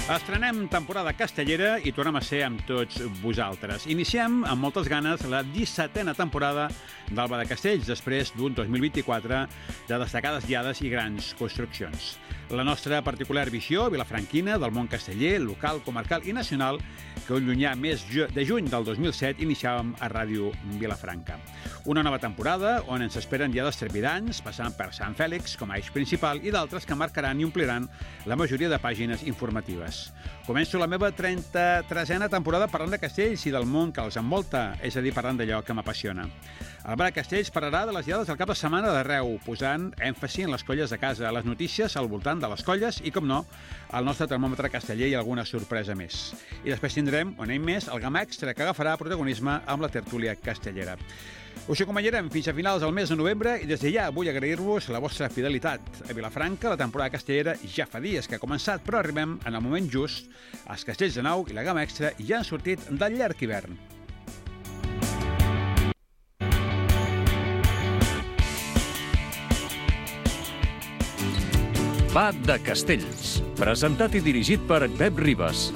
Estrenem temporada castellera i tornem a ser amb tots vosaltres. Iniciem amb moltes ganes la 17a temporada d'Alba de Castells, després d'un 2024 de destacades diades i grans construccions. La nostra particular visió vilafranquina del món casteller, local, comarcal i nacional, que un llunyà mes de juny del 2007 iniciàvem a Ràdio Vilafranca. Una nova temporada on ens esperen diades trepidants, passant per Sant Fèlix com a eix principal i d'altres que marcaran i ompliran la majoria de pàgines informatives. Començo la meva 33a temporada parlant de castells i del món que els envolta, és a dir, parlant d'allò que m'apassiona. El Bar de Castells parlarà de les diades del cap de setmana d'arreu, posant èmfasi en les colles de casa, les notícies al voltant de les colles i, com no, el nostre termòmetre casteller i alguna sorpresa més. I després tindrem, un any més, el Gamma Extra, que agafarà protagonisme amb la tertúlia castellera. Us acompanyarem fins a finals del mes de novembre i des de ja vull agrair-vos la vostra fidelitat. A Vilafranca, la temporada castellera ja fa dies que ha començat, però arribem en el moment just. Els castells de nau i la Gamma Extra ja han sortit del llarg hivern. Va de Castells, presentat i dirigit per Pep Ribas.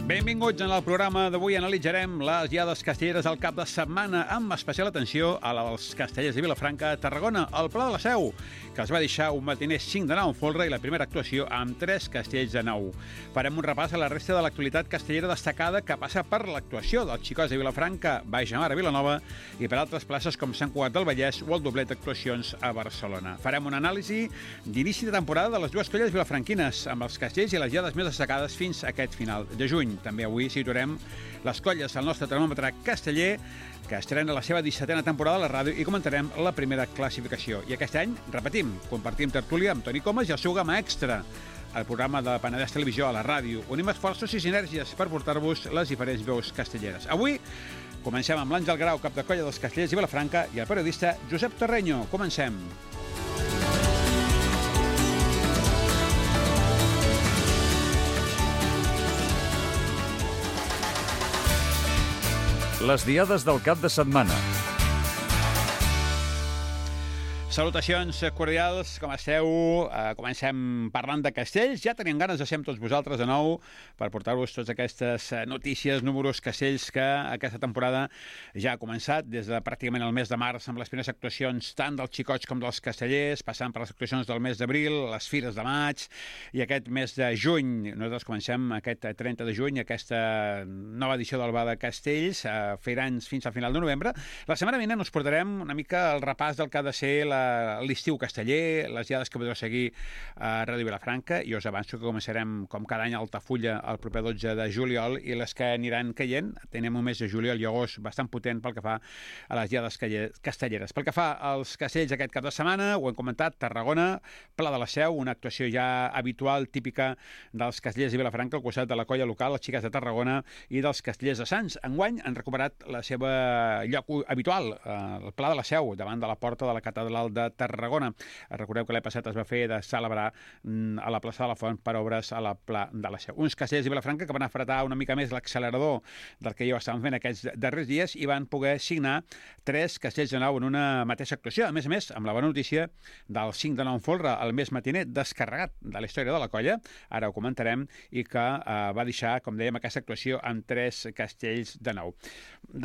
Benvinguts en el programa d'avui. Analitzarem les diades castelleres del cap de setmana amb especial atenció als castellers de Vilafranca, Tarragona, al Pla de la Seu, que els va deixar un matiner 5 de 9 en folre i la primera actuació amb 3 castells de 9. Farem un repàs a la resta de l'actualitat castellera destacada que passa per l'actuació dels Xicots de Vilafranca, Baix Mar a Vilanova i per altres places com Sant Cugat del Vallès o el doblet d'actuacions a Barcelona. Farem una anàlisi d'inici de temporada de les dues colles vilafranquines amb els castells i les diades més destacades fins a aquest final de juny. També avui situarem les colles al nostre termòmetre casteller, que estrena la seva 17a temporada a la ràdio i comentarem la primera classificació. I aquest any, repetim, compartim tertúlia amb Toni Comas i el seu Gamma Extra, el programa de Penedès Televisió a la ràdio. Unim esforços i sinergies per portar-vos les diferents veus castelleres. Avui comencem amb l'Àngel Grau, cap de colla dels castellers de Vilafranca, i el periodista Josep Terreño. Comencem. Les diades del cap de setmana. Salutacions cordials, com esteu? Comencem parlant de castells. Ja teníem ganes de ser amb tots vosaltres de nou per portar-vos totes aquestes notícies, números, castells que aquesta temporada ja ha començat des de pràcticament el mes de març amb les primeres actuacions tant dels xicots com dels castellers, passant per les actuacions del mes d'abril, les fires de maig i aquest mes de juny. Nosaltres comencem aquest 30 de juny, aquesta nova edició del Bar de Castells, feirans fins al final de novembre. La setmana vinent us portarem una mica el repàs del que ha de ser l'estiu casteller, les diades que podreu seguir a Ràdio Vilafranca, i us avanço que començarem com cada any a Altafulla el proper 12 de juliol i les que aniran caient. Tenim un mes de juliol i agost bastant potent pel que fa a les diades castelleres. Pel que fa als castells aquest cap de setmana, ho hem comentat, Tarragona, Pla de la Seu, una actuació ja habitual, típica dels castellers de Vilafranca, al costat de la colla local, les xiques de Tarragona i dels castellers de Sants. Enguany han recuperat la seva lloc habitual, el Pla de la Seu, davant de la porta de la catedral de Tarragona. Recordeu que l'any passat es va fer de celebrar a la plaça de la Font per obres a la Pla de la Seu. Uns castellers de Vilafranca que van apretar una mica més l'accelerador del que ja estàvem fent aquests darrers dies i van poder signar 3 castells de 9 en una mateixa actuació. A més, amb la bona notícia del 5 de 9 en folre, el més matiner descarregat de la història de la colla, ara ho comentarem, i que va deixar, com dèiem, aquesta actuació amb 3 castells de 9.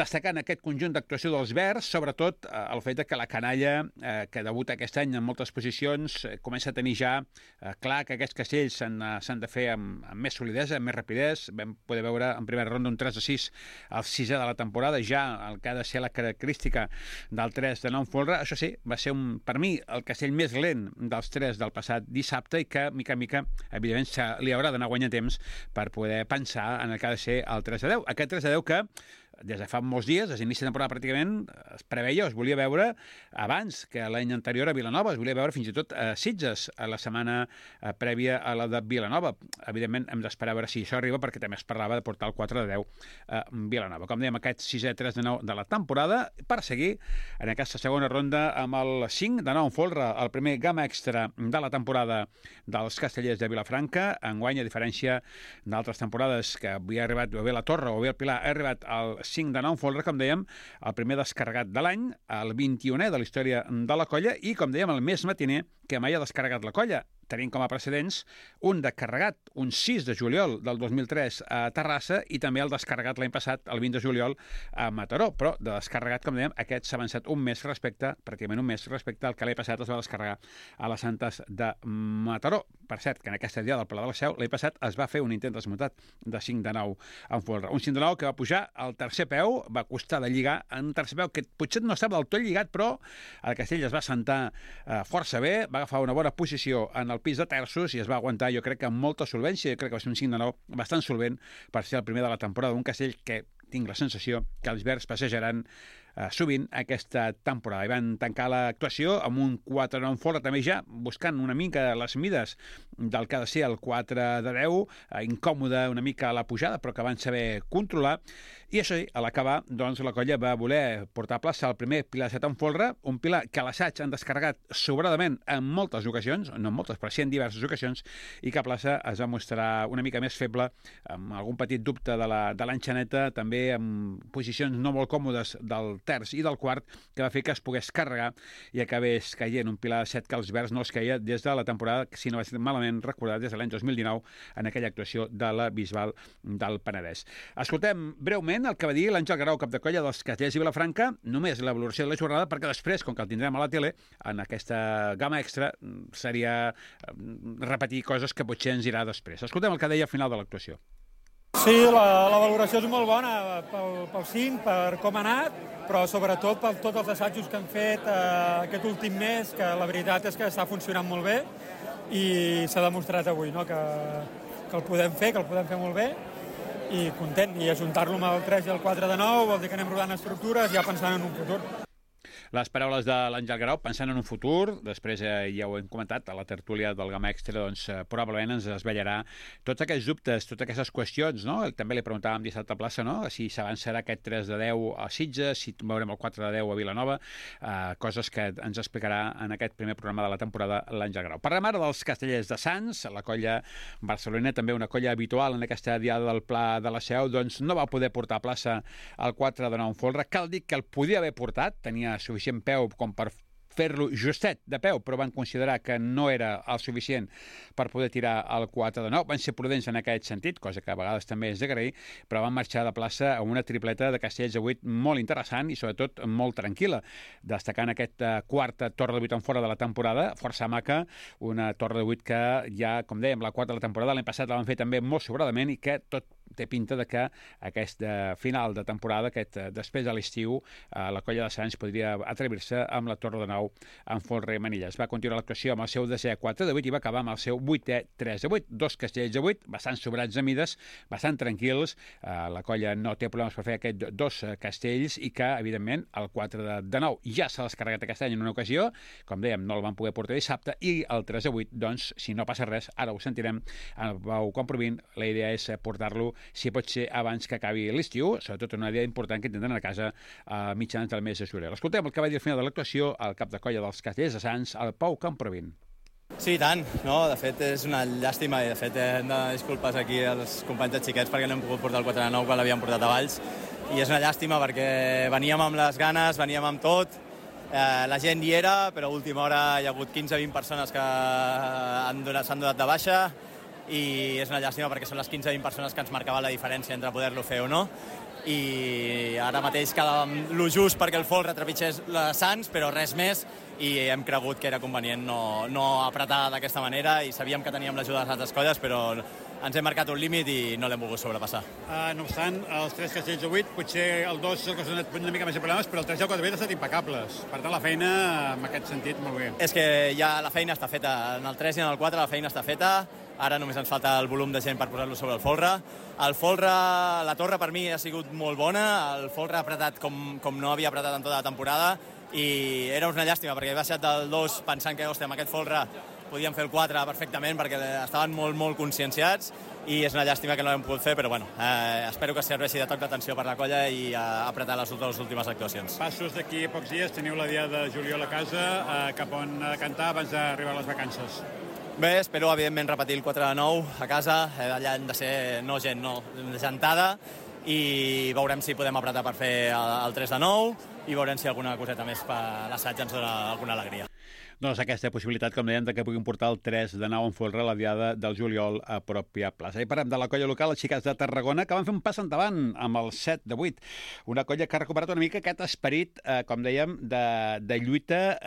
Destacant aquest conjunt d'actuació dels Verds, sobretot el fet que la canalla que debuta aquest any en moltes posicions comença a tenir ja clar que aquests castells s'han de fer amb més solidesa, amb més rapidesa. Vam poder veure en primera ronda un 3-6 al 6è de la temporada, ja el que ha de ser la característica del 3 de 9 folre. Això sí, va ser per mi el castell més lent dels 3 del passat dissabte i que, mica en mica, evidentment, li haurà d'anar guanyant temps per poder pensar en el que ha de ser el 3 de 10. Aquest 3 de 10 que des de fa molts dies, des d'inici de temporada pràcticament, es preveia, es volia veure abans que l'any anterior a Vilanova, es volia veure fins i tot a Sitges, a la setmana prèvia a la de Vilanova. Evidentment, hem d'esperar a veure si això arriba, perquè també es parlava de portar el 4 de 10 a Vilanova. Com dèiem, aquest 6è 3 de 9 de la temporada, per seguir en aquesta segona ronda amb el 5 de 9 en folre, el primer Gamma Extra de la temporada dels castellers de Vilafranca. Enguany, a diferència d'altres temporades que havia arribat o bé la Torre o bé el Pilar, ha arribat al 5 de 9 folre, com dèiem, el primer descarregat de l'any, el 21è de la història de la colla i, com dèiem, el més matiner que mai ha descarregat la colla. Tenim com a precedents un descarregat, un 6 de juliol del 2003 a Terrassa i també el descarregat l'any passat, el 20 de juliol, a Mataró. Però de descarregat, com dèiem, aquest s'ha avançat un mes respecte, pràcticament un mes respecte al que l'any passat es va descarregar a les Santes de Mataró. Per cert, que en aquesta dia del Pla de la Seu, l'any passat es va fer un intent desmuntat de 5 de 9 en folre. Un 5 de 9 que va pujar al tercer peu, va costar de lligar en un tercer peu que potser no estava del tot lligat, però el castell es va assentar força bé, va agafar una bona posició en el pis de terços i es va aguantar, jo crec que amb molta solvència. Jo crec que va ser un 5 de 9 bastant solvent per ser el primer de la temporada d'un castell que tinc la sensació que els verds passejaran sovint aquesta temporada. I van tancar l'actuació amb un 4 de 9 folre, també ja buscant una mica les mides del que ha de ser el 4 de 10, incòmode una mica a la pujada, però que van saber controlar. I això, a l'acabar, doncs, la colla va voler portar a plaça el primer pilar de 7 en folre, un pilar que a l'assaig han descarregat sobradament en moltes ocasions, no en moltes, però sí en diverses ocasions, i que a plaça es va mostrar una mica més feble, amb algun petit dubte de l'enxaneta, també amb posicions no molt còmodes del terç i del quart, que va fer que es pogués carregar i acabés caient un pilar de 7 que els verds no es caia des de la temporada, si no va ser malament recordat, des de l'any 2019, en aquella actuació de la Bisbal del Penedès. Escoltem breument el que va dir l'Àngel Guerau, cap de colla dels Castellers i Vilafranca, només la valoració de la jornada, perquè després, com que el tindrem a la tele, en aquesta gamma extra, seria repetir coses que potser ens irà després. Escoltem el que deia al final de l'actuació. Sí, la valoració és molt bona pel 5, per com ha anat, però sobretot per tots els assajos que han fet aquest últim mes, que la veritat és que està funcionant molt bé i s'ha demostrat avui, no? que el podem fer, molt bé, i content. I ajuntar-lo amb el 3 i el 4 de 9 vol dir que anem rodant estructures ja pensant en un futur. Les paraules de l'Àngel Guerau, pensant en un futur, després ja ho hem comentat, a la tertúlia del Gamma Extra, doncs probablement ens desvetllarà tots aquests dubtes, totes aquestes qüestions, no? També li preguntàvem dissabte a plaça, no? Si s'avançarà aquest 3 de 10 a Sitges, si veurem el 4 de 10 a Vilanova, coses que ens explicarà en aquest primer programa de la temporada l'Àngel Guerau. Parlem ara dels Castellers de Sants, la colla barcelonina, també una colla habitual en aquesta diada del Pla de la Seu, doncs no va poder portar a plaça el 4 de 9 en folre. Cal dir que el podia haver portat, tenia suficient peu com per fer-lo justet de peu, però van considerar que no era el suficient per poder tirar el 4 de 9. Van ser prudents en aquest sentit, cosa que a vegades també és d'agrair, però van marxar de plaça amb una tripleta de castells de 8 molt interessant i sobretot molt tranquil·la, destacant aquesta quarta torre de 8 en fora de la temporada, força maca, una torre de 8 que ja, com dèiem, la quarta de la temporada, l'any passat la van fer també molt sobradament i que tot té pinta de que aquest final de temporada, després de l'estiu, la colla de Sants podria atrevir-se amb la torre de 9 en folre i manilles. Va continuar l'actuació amb el seu 10è 4 de 8 i va acabar amb el seu 8è 3 de 8. Dos castells de 8, bastant sobrats de mides, bastant tranquils. La colla no té problemes per fer aquests dos castells i que, evidentment, el 4 de 9 ja s'ha descarregat aquest any en una ocasió. Com dèiem, no el van poder portar dissabte i el 3 de 8, doncs, si no passa res, ara ho sentirem en Pau Comprovin, la idea és portar-lo si pot ser abans que acabi l'estiu, sobretot una idea important que tindran a casa a mitjans del mes de juliol. Escoltem el que va dir al final de l'actuació el cap de colla dels Castellers de Sants, el Pau Comprovin. Sí, tant. No, de fet, és una llàstima i, de fet, hem de disculpes aquí als companys de xiquets perquè no hem pogut portar el 4 de 9 quan l'havíem portat a Valls. I és una llàstima perquè veníem amb les ganes, veníem amb tot. La gent hi era, però a última hora hi ha hagut 15-20 persones que s'han donat de baixa i és una llàstima perquè són les 15-20 persones que ens marcaven la diferència entre poder-lo fer o no. I ara mateix quedàvem lo just perquè el folre trepitgés les Sants, però res més, i hem cregut que era convenient no apretar d'aquesta manera i sabíem que teníem l'ajuda de les altres colles, però ens hem marcat un límit i no l'hem volgut sobrepassar. No obstant, els 3 castells de 8, potser el 2 és el que s'ha donat una mica més de problemes, però el 3 i el 4 han estat impecables. Per tant, la feina, en aquest sentit, molt bé. És que ja la feina està feta. En el 3 i en el 4 la feina està feta. Ara només ens falta el volum de gent per posar-lo sobre el folre. El folre, la torre per mi ha sigut molt bona, el folre ha apretat com no havia apretat en tota la temporada i era una llàstima perquè he baixat del 2 pensant que, hòstia, amb aquest folre podíem fer el 4 perfectament perquè estaven molt conscienciats i és una llàstima que no l'hem pogut fer, però bueno, espero que serveixi de toc d'atenció per la colla i apretar les últimes actuacions. Passos d'aquí a pocs dies, teniu la dia de juliol a casa, cap on cantar abans d'arribar a les vacances? Bé, espero, evidentment, repetir el 4 de 9 a casa. Allà hem de ser, gentada, i veurem si podem apretar per fer el 3 de 9 i veurem si alguna coseta més per l'assaig ens dona alguna alegria. Doncs aquesta possibilitat, com dèiem, que puguin portar el 3 de 9 en folre la diada del juliol a pròpia plaça. I parlem de la colla local, els Xiquets de Tarragona, que van fer un pas endavant amb el 7 de 8. Una colla que ha recuperat una mica aquest esperit, com dèiem, de lluita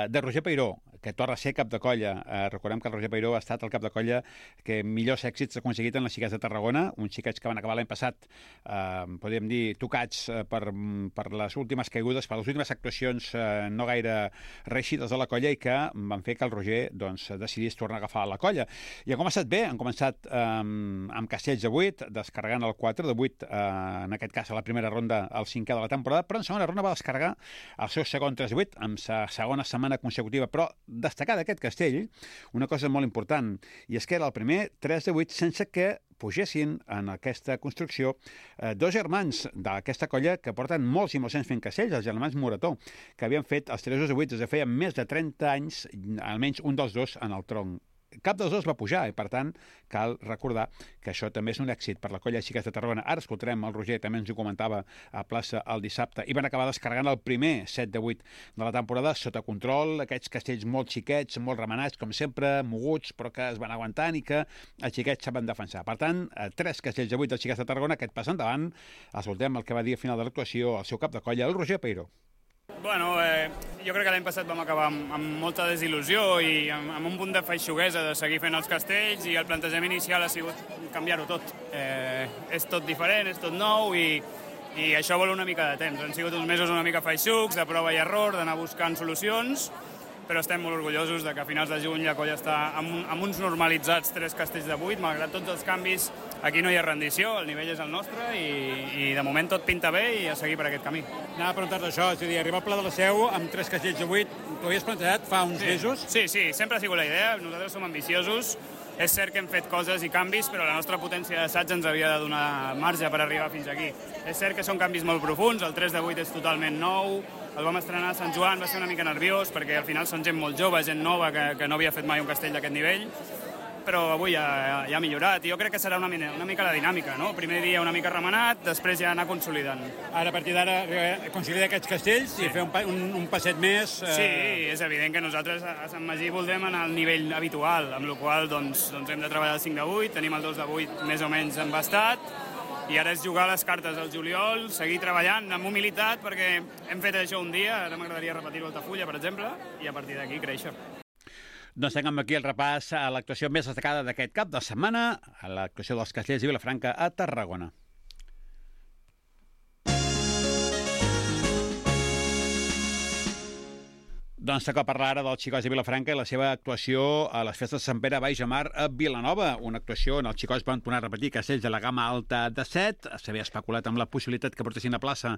de Roger Peiró, que torna a ser cap de colla. Recordem que el Roger Peiró ha estat el cap de colla que millors èxits ha aconseguit en les Xiquets de Tarragona, uns xiquets que van acabar l'any passat, podríem dir, tocats per les últimes caigudes, per les últimes actuacions no gaire reeixides de la colla i que van fer que el Roger decidís tornar a agafar la colla. I han començat bé, han començat amb Castells de 8, descarregant el 4 de 8, en aquest cas a la primera ronda, el 5è de la temporada, però en segona ronda va descarregar el seu segon 3 de 8, amb sa segona setmana consecutiva, però destacar d'aquest castell una cosa molt important, i és que era el primer 3 de 8 sense que pugessin en aquesta construcció dos germans d'aquesta colla que porten molts i molts anys fent castells, els germans Morató, que havien fet els 3 de 8 des de feia més de 30 anys, almenys un dels dos en el tronc. Cap dels dos va pujar i, per tant, cal recordar que això també és un èxit per la colla de Xiquets de Tarragona. Ara escoltarem el Roger, també ens ho comentava a plaça el dissabte, i van acabar descarregant el primer 7 de 8 de la temporada sota control, aquests castells molt xiquets, molt remenats, com sempre, moguts, però que es van aguantant i que els xiquets saben defensar. Per tant, 3 castells de 8 dels Xiquets de Tarragona, aquest pas endavant. Escoltem el que va dir al final de l'actuació el seu cap de colla, el Roger Peiró. Bueno, jo crec que l'any passat vam acabar amb molta desil·lusió i amb un punt de feixuguesa de seguir fent els castells, i el plantejament inicial ha sigut canviar-ho tot. És tot diferent, és tot nou i això vol una mica de temps. Han sigut uns mesos una mica feixucs, de prova i error, d'anar buscant solucions, però estem molt orgullosos de que a finals de juny la colla està amb uns normalitzats 3 castells de 8, malgrat tots els canvis. Aquí no hi ha rendició, el nivell és el nostre i de moment tot pinta bé i a seguir per aquest camí. Anava a preguntar-te això, és a dir, arribar al Pla de la Seu amb 3 castells de 8, t'ho havies plantejat fa uns mesos? Sí, sempre ha sigut la idea, nosaltres som ambiciosos, és cert que hem fet coses i canvis, però la nostra potència d'assaig ens havia de donar marge per arribar fins aquí. És cert que són canvis molt profuns, el 3 de 8 és totalment nou, el vam estrenar a Sant Joan, va ser una mica nerviós, perquè al final són gent molt jove, gent nova, que no havia fet mai un castell d'aquest nivell, però avui ja ha millorat, i jo crec que serà una mica la dinàmica, no? Primer dia una mica remenat, després ja anar consolidant. Ara, a partir d'ara, consolidar aquests castells i fer un passet més... Sí, és evident que nosaltres a Sant Magí voldrem anar al nivell habitual, amb la qual cosa hem de treballar el 5 de 8, tenim el 2 de 8 més o menys embastat, i ara és jugar les cartes al juliol, seguir treballant amb humilitat, perquè hem fet això un dia, ara m'agradaria repetir-ho a Altafulla, per exemple, i a partir d'aquí créixer. Doncs tenim aquí el repàs a l'actuació més destacada d'aquest cap de setmana, a l'actuació dels Castells de Vilafranca a Tarragona. Doncs toca parlar ara dels Xicots de Vilafranca i la seva actuació a les festes de Sant Pere Baix a Mar a Vilanova. Una actuació on els Xicots van tornar a repetir castells de la gamma alta de 7. S'havia especulat amb la possibilitat que portessin a plaça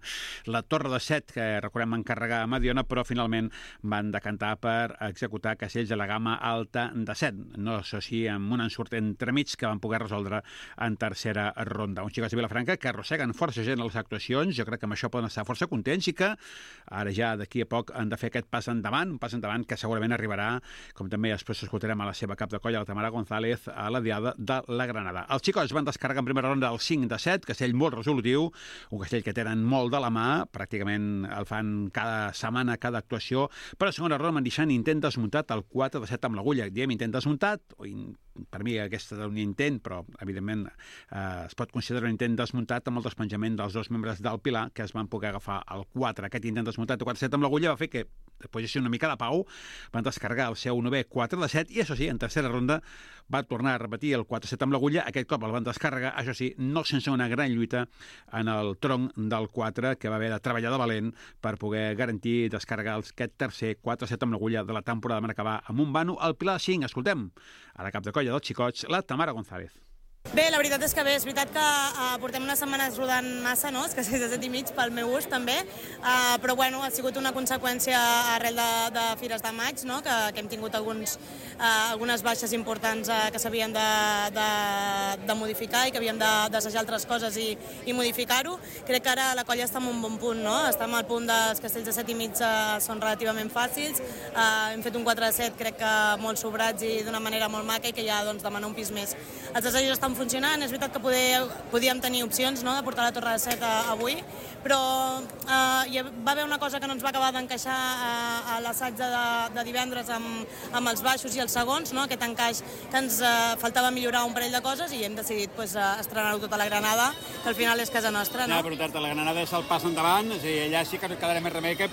la torre de 7, que recordem encarregar a Mediona, però finalment van decantar per executar castells de la gamma alta de 7. No, això sí, amb un ensurt entremig que van poder resoldre en tercera ronda. Uns Xicots de Vilafranca que arrosseguen força gent a les actuacions. Jo crec que amb això poden estar força contents i que ara ja d'aquí a poc han de fer aquest pas endavant, un pas endavant que segurament arribarà, com també després escoltarem a la seva cap de colla, la Tamara González, a la diada de la Granada. Els Xicots van descarregar en primera ronda el 5 de 7, castell molt resolutiu, un castell que tenen molt de la mà, pràcticament el fan cada setmana, cada actuació, però a segona ronda van deixar intent desmuntat el 4 de 7 amb l'agulla. Diem intent desmuntat, per mi aquest és un intent, però evidentment es pot considerar un intent desmuntat amb el despenjament dels dos membres del Pilar que es van poder agafar el 4. Aquest intent desmuntat de 4-7 amb l'agulla va fer que posessin una mica de pau, van descarregar el seu 9è 4 de 7 i això sí, en tercera ronda va tornar a repetir el 4-7 amb l'agulla, aquest cop el van descarregar, això sí, no sense una gran lluita en el tronc del 4 que va haver de treballar de valent per poder garantir descarregar aquest tercer 4-7 amb l'agulla de la temporada. Van acabar amb un vano al Pilar 5. Escoltem a la cap de colla dels Xicots, la Tamara González. Bé, la veritat és que bé, és veritat que portem unes setmanes rodant massa, no? És que 6 de 7 i mig pel meu gust també, però bueno, ha sigut una conseqüència arrel de Fires de Maig, no? Que hem tingut algunes baixes importants que s'havien de modificar i que havíem d'assajar altres coses i modificar-ho. Crec que ara la colla està en un bon punt, no? Estem al punt dels castells de 7 i mig són relativament fàcils, hem fet un 4 de 7 crec que molt sobrats i d'una manera molt maca i que ja doncs, demana un pis més. Els assajos estan funcionant. És veritat que podíem tenir opcions, no?, de portar la torre de 7 avui, però hi va haver una cosa que no ens va acabar d'encaixar a l'assaig de divendres amb els baixos i els segons, no?, aquest encaix que ens faltava millorar un parell de coses i hem decidit estrenar-ho tot a la Granada, que al final és casa nostra, no? Ja, però la Granada és el pas endavant, és a dir, allà sí que quedarà més remei que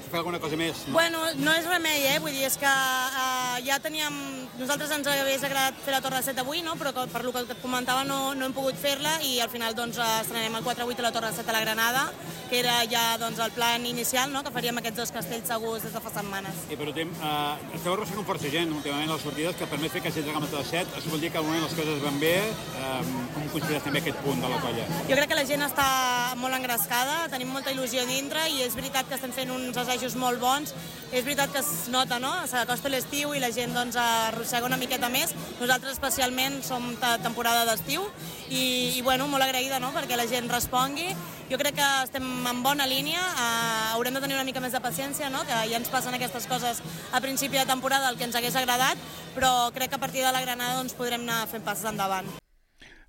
fer alguna cosa més, no? Bueno, no és remei, vull dir, és que ja teníem... Nosaltres ens hagués agradat fer la Torre 7 avui, no?, però per lo que et comentava no hem pogut fer-la i al final doncs estrenem el 4-8 a la Torre 7 a la Granada, que era ja doncs el plan inicial, no?, que faríem aquests dos castells segurs des de fa setmanes. I per últim, esteu arrossegant força gent últimament a les sortides que permet fer castells de gamma de 7. Això vol dir que al moment les coses van bé. Com consideres també aquest punt de la colla? Jo crec que la gent està molt engrescada, tenim molta il·lusió dintre i és veritat que estem fent uns assajos molt bons. És veritat que es nota, no?, s'acosta l'estiu i la gent doncs arrossega una miqueta més. Nosaltres especialment som temporada d'estiu i bueno, molt agraïda, no?, perquè la gent respongui. Jo crec que estem en bona línia, haurem de tenir una mica més de paciència, no?, que ja ens passen aquestes coses a principi de temporada, el que ens hagués agradat, però crec que a partir de la Granada doncs, podrem anar fent passes endavant.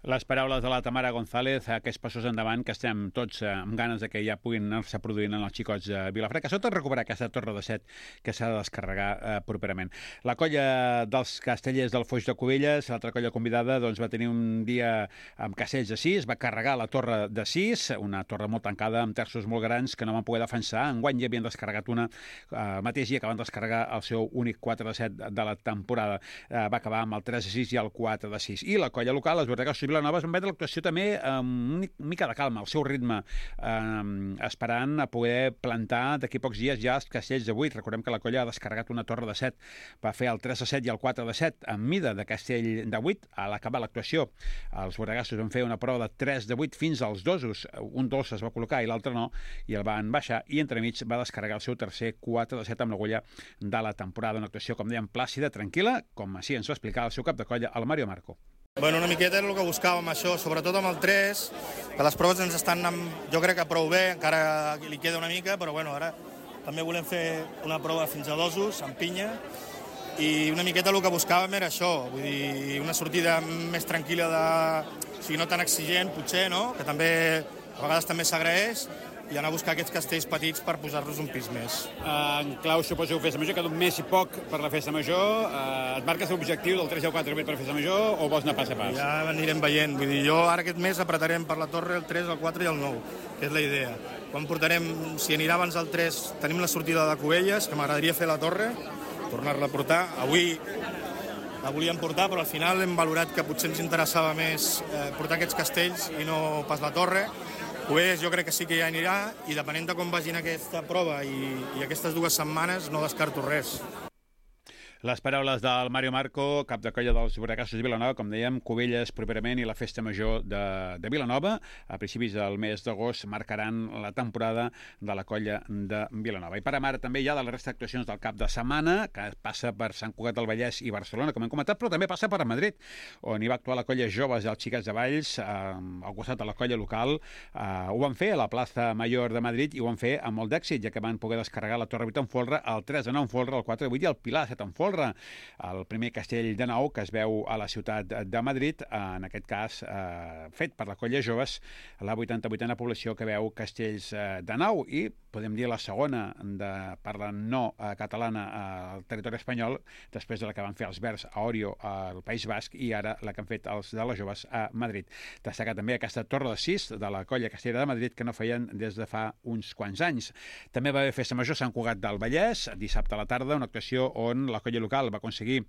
Les paraules de la Tamara González, aquests passos endavant que estem tots amb ganes de que ja puguin anar-se produint en els xicots de Vilafranca, sobretot recuperar aquesta torre de 7 que s'ha de descarregar properament. La colla dels castellers del Foix de Cubelles, l'altra colla convidada, doncs, va tenir un dia amb castells de 6, va carregar la torre de 6, una torre molt tancada amb terços molt grans que no van poder defensar. Enguany ja havien descarregat una el mateix dia que van descarregar el seu únic 4 de 7 de la temporada. Va acabar amb el 3 de 6 i el 4 de 6. I la colla local, els Bordegassos Vilanova, es van veure l'actuació també amb una mica de calma, al seu ritme, esperant a poder plantar d'aquí pocs dies ja els castells de 8. Recordem que la colla ha descarregat una torre de 7, va fer el 3 de 7 i el 4 de 7 en mida de castell de 8. A l'acabar l'actuació, els Bordegassos van fer una prova de 3 de 8 fins als dosos. Un dos es va col·locar i l'altre no, i el van baixar, i entremig va descarregar el seu tercer 4 de 7 amb l'agulla de la temporada. Una actuació, com dèiem, plàcida, tranquil·la, com així ens va explicar el seu cap de colla, el Mario Marco. Bueno, una miqueta era el que buscàvem, això, sobretot amb el 3, que les proves ens estan anant, jo crec que prou bé, encara li queda una mica, però bueno, ara també volem fer una prova fins a dosos, amb pinya, i una miqueta el que buscàvem era això, vull dir, una sortida més tranquil·la, o sigui, no tan exigent, potser, no?, que també a vegades també s'agraeix, i anar a buscar aquests castells petits per posar-los un pis més. En clau, suposo, festa major, queda un mes i poc per la festa major. Et marques l'objectiu del 3 i el 4 per festa major o vols anar pas a pas? Ja anirem veient. Vull dir, jo ara aquest mes apretarem per la torre el 3, el 4 i el 9, que és la idea. Quan portarem, si anirà abans del 3, tenim la sortida de Cubelles, que m'agradaria fer la torre, tornar-la a portar. Avui la volíem portar, però al final hem valorat que potser ens interessava més portar aquests castells i no pas la torre. Pues jo crec que sí que ja anirà i depenent de com vagin aquesta prova i aquestes 2 setmanes no descarto res. Les paraules del Mario Marco, cap de colla dels Bordegassos de Vilanova, com dèiem, Cubelles properament i la festa major de Vilanova. A principis del mes d'agost marcaran la temporada de la colla de Vilanova. I parem ara també ja de la resta d'actuacions del cap de setmana, que passa per Sant Cugat del Vallès i Barcelona, com hem comentat, però també passa per Madrid, on hi va actuar la colla Joves dels Xiquets de Valls, al costat de la colla local. Ho van fer a la plaça Mayor de Madrid i ho van fer amb molt d'èxit, ja que van poder descarregar la Torre 8 en folre, el 3 de 9 en folre, el 4 de 8 i el Pilar 7 en folre. El primer castell de 9 que es veu a la ciutat de Madrid, en aquest cas fet per la colla Joves, la 88a població que veu castells de 9, i podem dir la segona de parla no catalana al territori espanyol, després de la que van fer els Verds a Orio al País Basc i ara la que han fet els de les Joves a Madrid. Destacar també aquesta torre de 6 de la colla castellera de Madrid que no feien des de fa uns quants anys. També va haver festa major a Sant Cugat del Vallès, dissabte a la tarda, una actuació on la colla local va aconseguir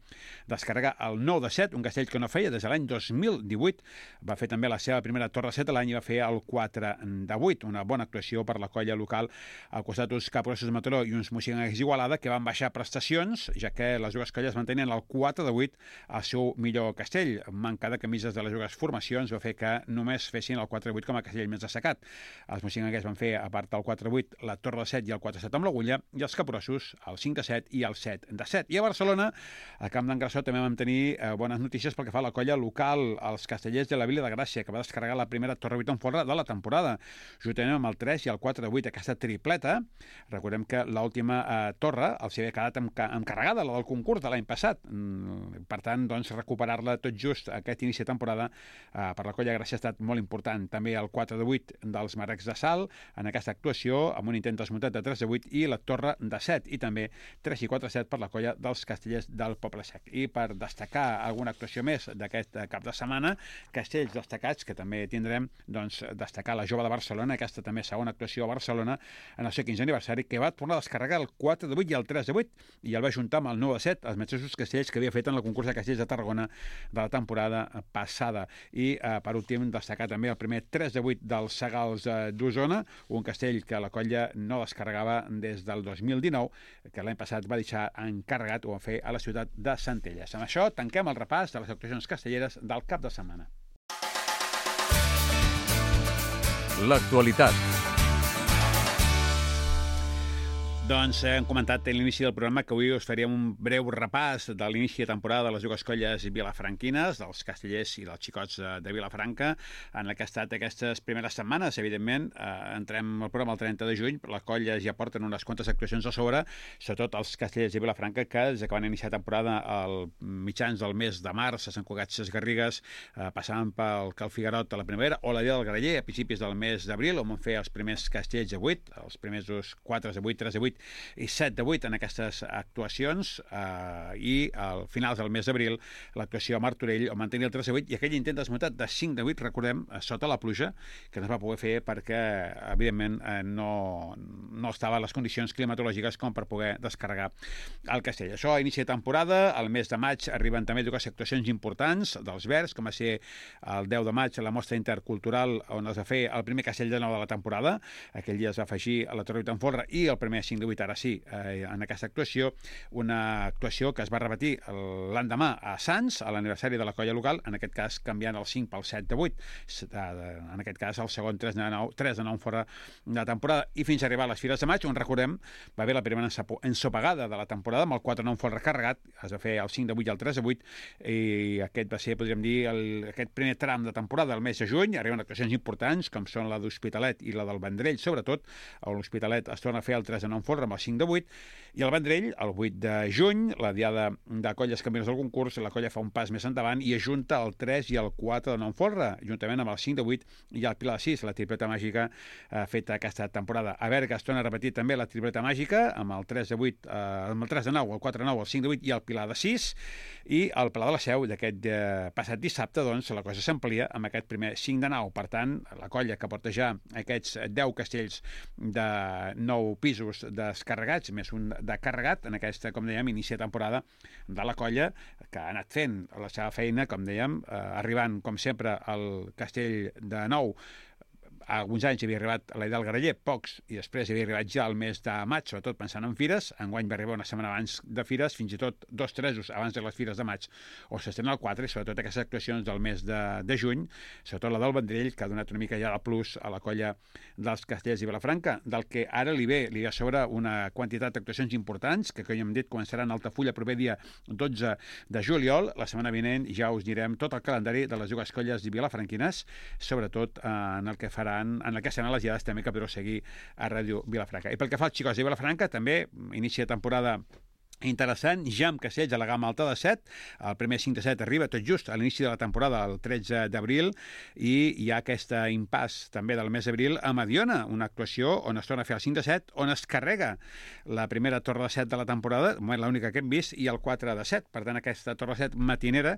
descarregar el 9 de 7, un castell que no feia des de l'any 2018. Va fer també la seva primera torre 7 a l'any i va fer el 4 de 8, una bona actuació per la colla local, al costat d'uns Capgrossos de Mataró i uns Moixigans d'Igualada, que van baixar prestacions, ja que les dues colles mantenien el 4 de 8 al seu millor castell. Manca de camises de les dues formacions va fer que només fessin el 4 de 8 com a castell més destacat. Els Moixigans van fer, a part del 4 de 8, la torre de 7 i el 4 de 7 amb l'agulla, i els Capgrossos el 5 de 7 i el 7 de 7. I a Barcelona Barcelona. A Camp d'en Grassó també vam tenir bones notícies pel que fa a la colla local, els Castellers de la Vila de Gràcia, que va descarregar la primera torre 8 en folre de la temporada, juntament amb el 3 i el 4 de 8, aquesta tripleta. Recordem que l'última torre els havia quedat encarregada, la del concurs de l'any passat. Per tant, doncs, recuperar-la tot just aquest inici de temporada per la colla Gràcia ha estat molt important. També el 4 de 8 dels Marecs de Salt en aquesta actuació, amb un intent desmuntat de 3 de 8 i la torre de 7, i també 3 i 4 7 per la colla dels Castellers del Poble Sec. I per destacar alguna actuació més d'aquest cap de setmana, castells destacats, que també tindrem, doncs, destacar la Jove de Barcelona, aquesta també segona actuació a Barcelona en el seu 15è aniversari, que va tornar a descarregar el 4 de 8 i el 3 de 8, i el va juntar amb el 9 de 7, els mateixos castells que havia fet en el concurs de castells de Tarragona de la temporada passada. I per últim, destacar també el primer 3 de 8 dels Segals d'Osona, un castell que la colla no descarregava des del 2019, que l'any passat va deixar encarregat o a fer a la ciutat de Centelles. Amb això tanquem el repàs de les actuacions castelleres del cap de setmana. L'actualitat. Doncs hem comentat a l'inici del programa que avui us faríem un breu repàs de l'inici de temporada de les dues colles vilafranquines, dels castellers i dels xicots de Vilafranca, en el que ha estat aquestes primeres setmanes. Evidentment, entrem al programa el 30 de juny, les colles ja porten unes quantes actuacions a sobre, sobretot els castellers de Vilafranca, que des que van iniciar temporada al mitjans del mes de març, a Sant Cugat Sesgarrigues, passaven pel Cal Figuerot a la primavera, o la Dia del Graller a principis del mes d'abril, on van fer els primers castells de 8, els primers 4 de 8, 3 de 8, i 7 de 8 en aquestes actuacions, i al finals del mes d'abril l'actuació a Martorell on mantenir el 3 de 8 i aquell intent desmuntat de 5 de 8, recordem, sota la pluja, que no es va poder fer perquè evidentment no estava a les condicions climatològiques com per poder descarregar el castell. Això a inici de temporada. Al mes de maig arriben també dues actuacions importants dels Verds, com va ser el 10 de maig la mostra intercultural on es va fer el primer castell de nou de la temporada. Aquell dia es va afegir a la Torre 8 en folre i el primer 5 de 8 ara sí, en aquesta actuació, una actuació que es va repetir l'endemà a Sants, a l'aniversari de la colla local, en aquest cas canviant el 5 pel 7 de 8, en aquest cas el segon 3 de 9 fora de temporada, i fins a arribar a les Fires de Maig, on recordem, va haver la primera ensopegada de la temporada, amb el 4 de 9 fora recarregat, es va fer el 5 de 8 i el 3 de 8, i aquest va ser, podríem dir, aquest primer tram de temporada del mes de juny. Arriben actuacions importants, com són la d'Hospitalet i la del Vendrell, sobretot, on l'Hospitalet es torna a fer el 3 de 9 fora amb el 5 de 8, i el Vendrell, el 8 de juny, la diada de colles campiones del concurs, la colla fa un pas més endavant i ajunta el 3 i el 4 de 9 folre, juntament amb el 5 de 8 i el Pilar de 6, la tripleta màgica feta aquesta temporada. A Berga es torna a repetir també la tripleta màgica amb el 3 de 8, amb el 3 de 9, el 4 de 9, el 5 de 8 i el Pilar de 6, i el Pla de la Seu d'aquest passat dissabte, doncs, la cosa s'amplia amb aquest primer 5 de 9. Per tant, la colla que porta ja aquests 10 castells de 9 pisos descarregats, més un de carregat en aquesta, com dèiem, inici de temporada de la colla, que ha anat fent la seva feina, com dèiem, arribant, com sempre, al castell de Nou. Alguns anys havia arribat a la del Graller, pocs, i després havia arribat ja al mes de maig, sobretot pensant en fires. Enguany va arribar una setmana abans de fires, fins i tot 2 tresos abans de les fires de maig, o s'estrena el 4, i sobretot aquestes actuacions del mes de juny, sobretot la del Vendrell, que ha donat una mica ja de plus a la colla dels Castellers i Vilafranca, del que ara li ve a sobre una quantitat d'actuacions importants, que com hem dit començaran a Altafulla el proper dia 12 de juliol. La setmana vinent ja us direm tot el calendari de les dues colles vilafranquines, sobretot en el que faran, en el que seran les diades també que podreu seguir a Ràdio Vilafranca. I pel que fa als xicots de Vilafranca, també inicia temporada interessant, ja amb castells a la gamma alta de 7, el primer 5 de 7 arriba tot just a l'inici de la temporada, el 13 d'abril, i hi ha aquest impàs també del mes d'abril a Mediona, una actuació on es torna a fer el 5 de 7, on es carrega la primera torre de 7 de la temporada, l'única que hem vist, i el 4 de 7, per tant aquesta torre de 7 matinera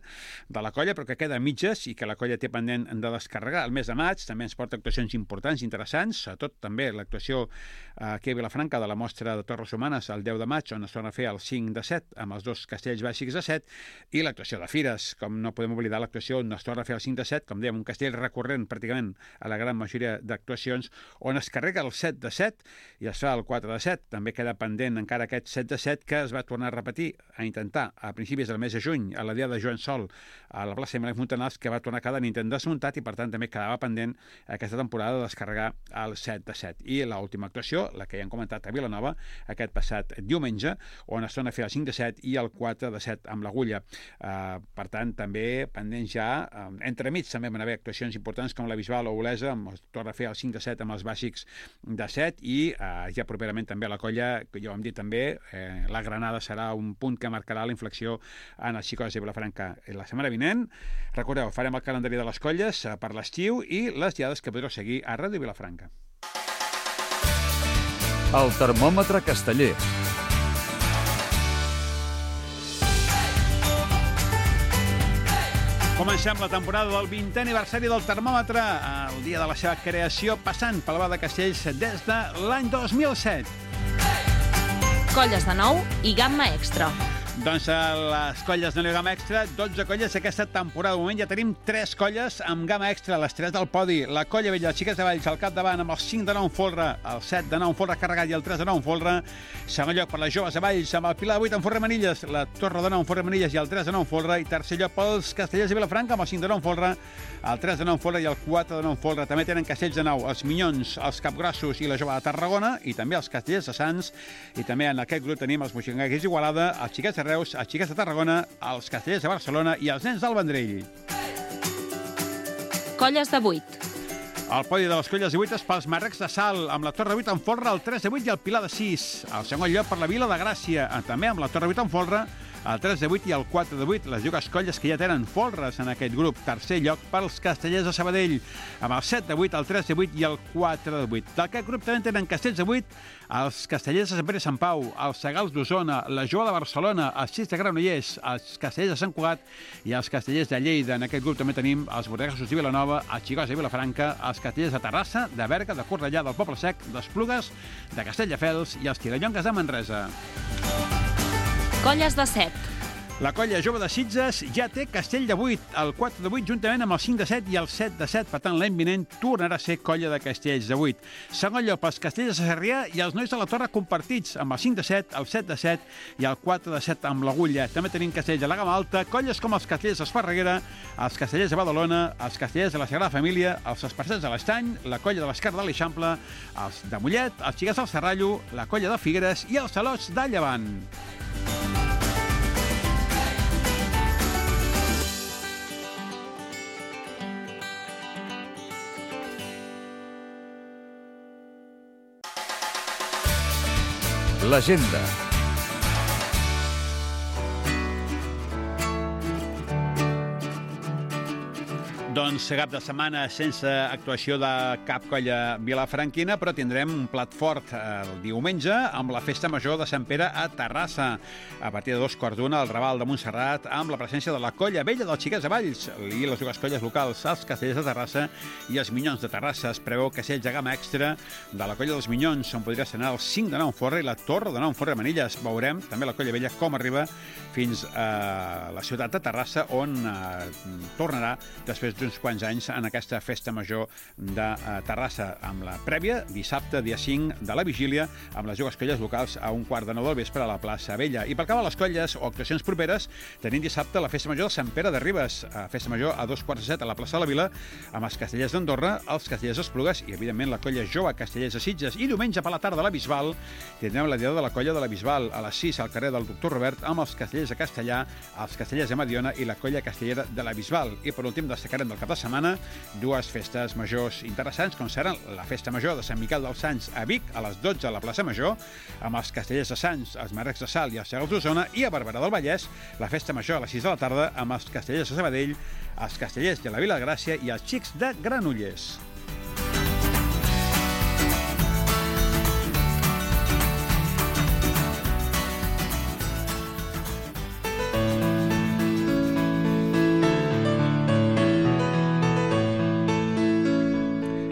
de la colla, però que queda a mitges i que la colla té pendent de descarregar. El mes de maig també ens porta actuacions importants, interessants, sobretot també l'actuació aquí a Vilafranca de la mostra de Torres Humanes el 10 de maig, on es torna a fer el 5 de 7, amb els dos castells bàsics de 7, i l'actuació de Fires, com no podem oblidar l'actuació on es torna a fer el 5 de 7, com dèiem, un castell recurrent pràcticament a la gran majoria d'actuacions, on es carrega el 7 de 7 i es fa el 4 de 7. També queda pendent encara aquest 7 de 7 que es va tornar a repetir, a intentar, a principis del mes de juny, a la dia de Joan Sol, a la plaça de Melec Montanals, que va tornar a quedar en intent desmuntat i per tant també quedava pendent aquesta temporada de descarregar el 7 de 7. I l'última actuació, la que ja hem comentat a Vilanova, aquest passat diumenge, on es torna a fer el 5 de 7 i el 4 de 7 amb l'Agulla. Per tant, també pendents ja, entremig també van haver actuacions importants com la Bisbal o Olesa, torna a fer el 5 de 7 amb els bàsics de 7 i ja properament també a la Colla, que ja ho hem dit també, la Granada serà un punt que marcarà la inflexió en els Xicots de Vilafranca. La setmana vinent, recordeu, farem el calendari de les colles per l'estiu i les diades que podreu seguir a Ràdio Vilafranca. El termòmetre casteller. Comencem la temporada del 20è aniversari del termòmetre, el dia de la seva creació, passant pel Bar de Castells des de l'any 2007. Colles de nou i gamma extra. Doncs a les colles de gamma extra, 12 colles aquesta temporada. De moment ja tenim 3 colles amb gamma extra, les 3 del podi. La Colla Vella, Xiques de Valls, al capdavant amb el 5 de 9 en folre, el 7 de 9 en folre carregat i el 3 de 9 en folre. Segon lloc per les joves de Valls amb el Pilar de 8 en folre Manilles, la Torre de 9 en folre Manilles i el 3 de 9 en folre. I tercer lloc pels Castellers de Vilafranca amb el 5 de 9 en folre, el 3 de 9 en folre i el 4 de 9 en folre. També tenen castells de 9, els Minyons, els Capgrossos i la Jove de Tarragona i també els Castellers de Sants. I també en aquest grup tenim els Moixongaguers d'Igualada, els Xiquets de Reus, els Xiquets de Tarragona, els Castellers de Barcelona i els Nens del Vendrell. Colles de 8. El podi de les colles de 8 és pels Marrecs de Sal, amb la Torre 8 en folre, el 3 de 8 i el Pilar de 6. El segon lloc per la Vila de Gràcia, també amb la Torre 8 en folre, el 3 de 8 i el 4 de 8, les dues colles que ja tenen folres en aquest grup. Tercer lloc pels Castellers de Sabadell, amb el 7 de 8, el 3 de 8 i el 4 de 8. D'aquest grup també tenen castells de 8, els Castellers de Sant Pere i Sant Pau, els Segals d'Osona, la Joa de Barcelona, els Sis de Granollers, els Castellers de Sant Cugat i els Castellers de Lleida. En aquest grup també tenim els Bordegassos de Vilanova, els Xicots de Vilafranca, els Castellers de Terrassa, de Berga, de Cornellà, del Poble Sec, d'Esplugues, de Castelldefels i els Tirallongues de Manresa. Colles de 7. La colla jove de Sitges ja té castell de 8, el 4 de 8 juntament amb el 5 de 7 i el 7 de 7. Per tant, l'any vinent tornarà a ser colla de castells de 8. Segon lloc pels Castellers de Sarrià i els Nois de la Torre compartits amb el 5 de 7, el 7 de 7 i el 4 de 7 amb l'Agulla. També tenim castells de la gamma alta, colles com els Castellers d'Esparreguera, els Castellers de Badalona, els Castellers de la Sagrada Família, els Esparcers de l'Estany, la colla de l'Esquerra de l'Eixample, els de Mollet, els Xiquets del Serrallo, la colla de Figueres i els Salots de Llevant. L'agenda. Doncs cap de setmana sense actuació de cap colla vilafranquina, però tindrem un plat fort el diumenge amb la Festa Major de Sant Pere a Terrassa. A partir de 2:15 al Raval de Montserrat, amb la presència de la Colla Vella dels Xiquets de Valls i les dues colles locals, els Castellers de Terrassa i els Minyons de Terrassa. Es preveu castells de gamma extra de la Colla dels Minyons, on podria estrenar el 5 de 9 en Forra i la Torre de 9 en Forra Manilles. Veurem també la Colla Vella com arriba fins a la ciutat de Terrassa, on tornarà després d'uns quants anys en aquesta Festa Major de Terrassa, amb la prèvia dissabte, dia 5 de la vigília, amb les dues colles locals a 1:15 del vespre a la plaça Vella. I per acabar les colles o actuacions properes, tenim dissabte la Festa Major de Sant Pere de Ribes, Festa Major a 2:15 a la plaça de la Vila, amb els Castellers d'Andorra, els Castellers d'Esplugues i, evidentment, la colla jove Castellers de Sitges. I diumenge per la tarda a la Bisbal tindrem la diada de la colla de la Bisbal a les 6 al carrer del Doctor Robert, amb els Castellers de Castellà, els Castellers de Mediona i la colla castellera de la Bisbal. I per últim destacarem del cap de setmana dues festes majors interessants, com seran la Festa Major de Sant Miquel dels Sants a Vic a les 12 a la plaça Major, amb els Castellers de Sants, els Marrecs de Sal i els Segals d'Osona, i a Barberà del Vallès la Festa Major a les 6 de la tarda amb els Castellers de Sabadell, els Castellers de la Vila de Gràcia i els Xics de Granollers.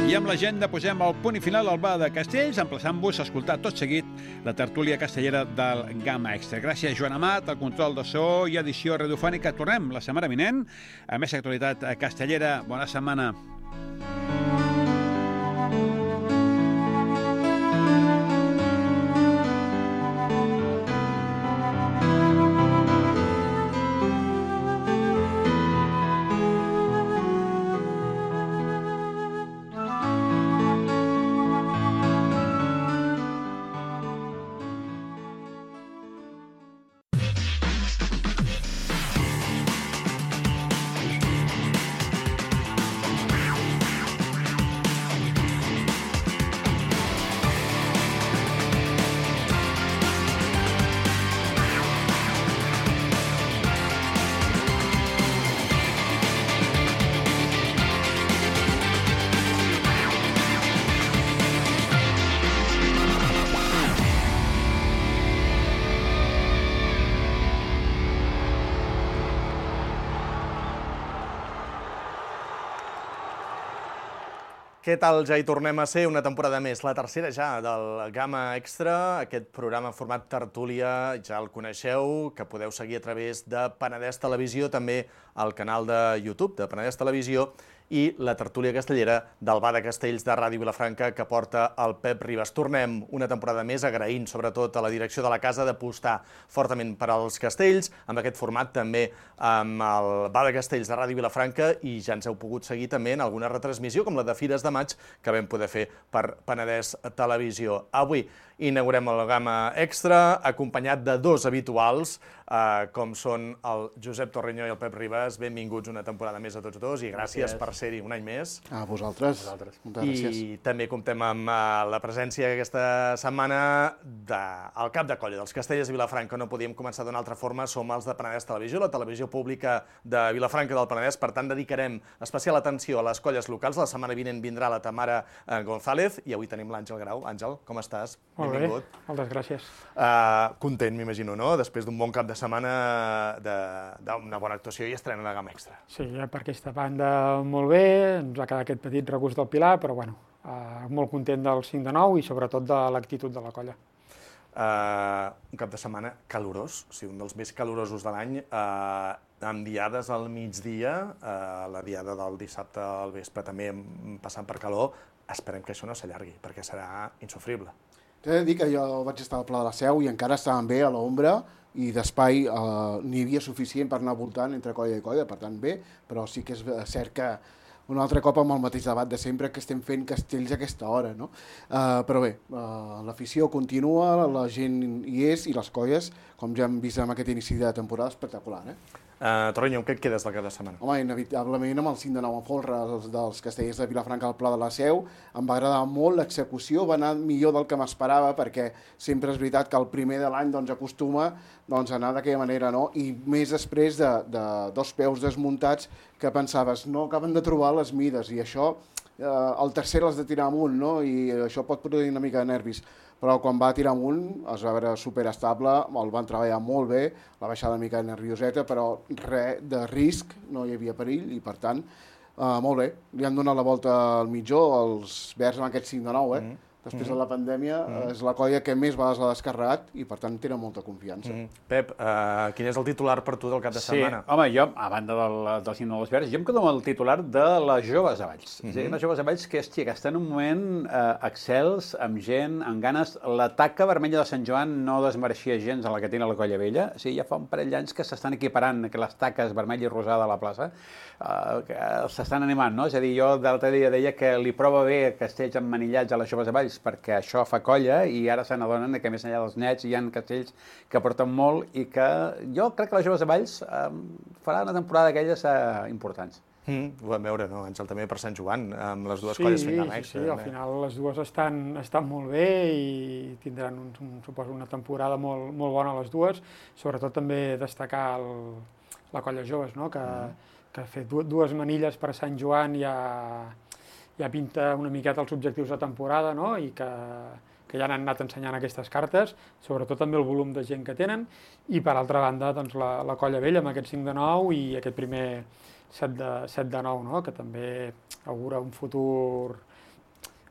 I amb l'agenda posem el punt i final al Bar de Castells, emplaçant-vos a escoltar tot seguit la tertúlia castellera del Gamma Extra. Gràcies, Joan Amat, al control de so i edició radiofònica. Tornem la setmana vinent a més actualitat castellera. Bona setmana. què tal? Ja hi tornem a ser una temporada més, la tercera ja del Gamma Extra, aquest programa en format tertúlia, ja el coneixeu, que podeu seguir a través de Penedès Televisió, també al canal de YouTube de Penedès Televisió, i la tertúlia castellera del Bar de Castells de Ràdio Vilafranca que porta el Pep Ribas. Tornem una temporada més agraint sobretot a la direcció de la casa d'apostar fortament per als castells, amb aquest format també amb el Bar de Castells de Ràdio Vilafranca, i ja ens heu pogut seguir també en alguna retransmissió com la de Fires de Maig que vam poder fer per Penedès Televisió. Avui inaugurem el Gamma Extra acompanyat de dos habituals com són el Josep Torreño i el Pep Ribas. Benvinguts una temporada més a tots dos i gràcies per ser-hi un any més. A vosaltres. Moltes gràcies. I també comptem amb la presència aquesta setmana del cap de colla dels Castellers de Vilafranca. No podíem començar d'una altra forma, som els de Penedès Televisió, la televisió pública de Vilafranca del Penedès, per tant dedicarem especial atenció a les colles locals. La setmana vinent vindrà la Tamara González i avui tenim l'Àngel Grau. Àngel, com estàs? Molt bé, moltes gràcies. Content, m'imagino, no? Després d'un bon cap de setmana, d'una bona actuació i estrena de Gamma Extra. Sí, per aquesta banda molt bé, ens ha quedat aquest petit regust del Pilar, però bueno, molt content del 5 de 9 i sobretot de l'actitud de la colla. Un cap de setmana calorós, o sigui, un dels més calorosos de l'any, amb diades al migdia, la diada del dissabte al vespre també passant per calor. Esperem que això no s'allargui, perquè serà insofrible. T'he de dir que jo vaig estar al Pla de la Seu i encara estàvem bé a l'ombra i d'espai n'hi havia suficient per anar voltant entre colla i colla, per tant bé, però sí que és cert que un altre cop amb el mateix debat de sempre que estem fent castells a aquesta hora, no? Però bé, l'afició continua, la gent hi és i les colles, com ja hem vist en aquest inici de temporada, espectacular, Torreño, què et quedes del cap de setmana? Home, inevitablement amb el 5 de 9 a folre dels Castellers de Vilafranca al Pla de la Seu, em va agradar molt l'execució, va anar millor del que m'esperava, perquè sempre és veritat que el primer de l'any acostuma a anar d'aquella manera, no? I més després de dos peus desmuntats que pensaves, no acaben de trobar les mides, i això, el tercer l'has de tirar amunt, no? I això pot produir una mica de nervis. Però quan va tirar amunt es va veure superestable, el van treballar molt bé, la baixada una mica nervioseta, però res de risc, no hi havia perill, i per tant, molt bé. Li han donat la volta al mitjó, els verds amb aquest 5 de 9, Després de la pandèmia és la colla que més vegades l'ha descarregat i per tant tenen molta confiança. Pep, quin és el titular per tu del cap de setmana? Sí, home, jo, a banda del Cinc dels Verds, jo em quedo amb el titular de les joves a Valls. És a dir, les joves a Valls que està en un moment excels, amb gent, amb ganes. La taca vermella de Sant Joan no desmereixia gens a la que té la colla vella. O sigui, ja fa un parell d'anys que s'estan equiparant les taques vermella i rosada a la plaça. S'estan animant, no? És a dir, jo l'altre dia deia que li prova bé castells emmanillats a les joves a Valls perquè això fa colla i ara se n'adonen que més enllà dels nets hi ha castells que porten molt i que jo crec que les joves a Valls farà una temporada d'aquelles importants. Ho vam veure, no, Àngel, també per Sant Joan, amb les dues colles fent Gamma Extra. Sí, al final les dues estan molt bé i tindran, suposo, una temporada molt bona les dues. Sobretot també destacar la colla joves, no? Que ha fet dues manilles per Sant Joan ja pinta una miqueta els objectius de temporada, no? I que ja han anat ensenyant aquestes cartes, sobretot també el volum de gent que tenen, i per altra banda doncs, la colla vella amb aquest 5 de 9 i aquest primer 7 de 9, no? Que també augura un futur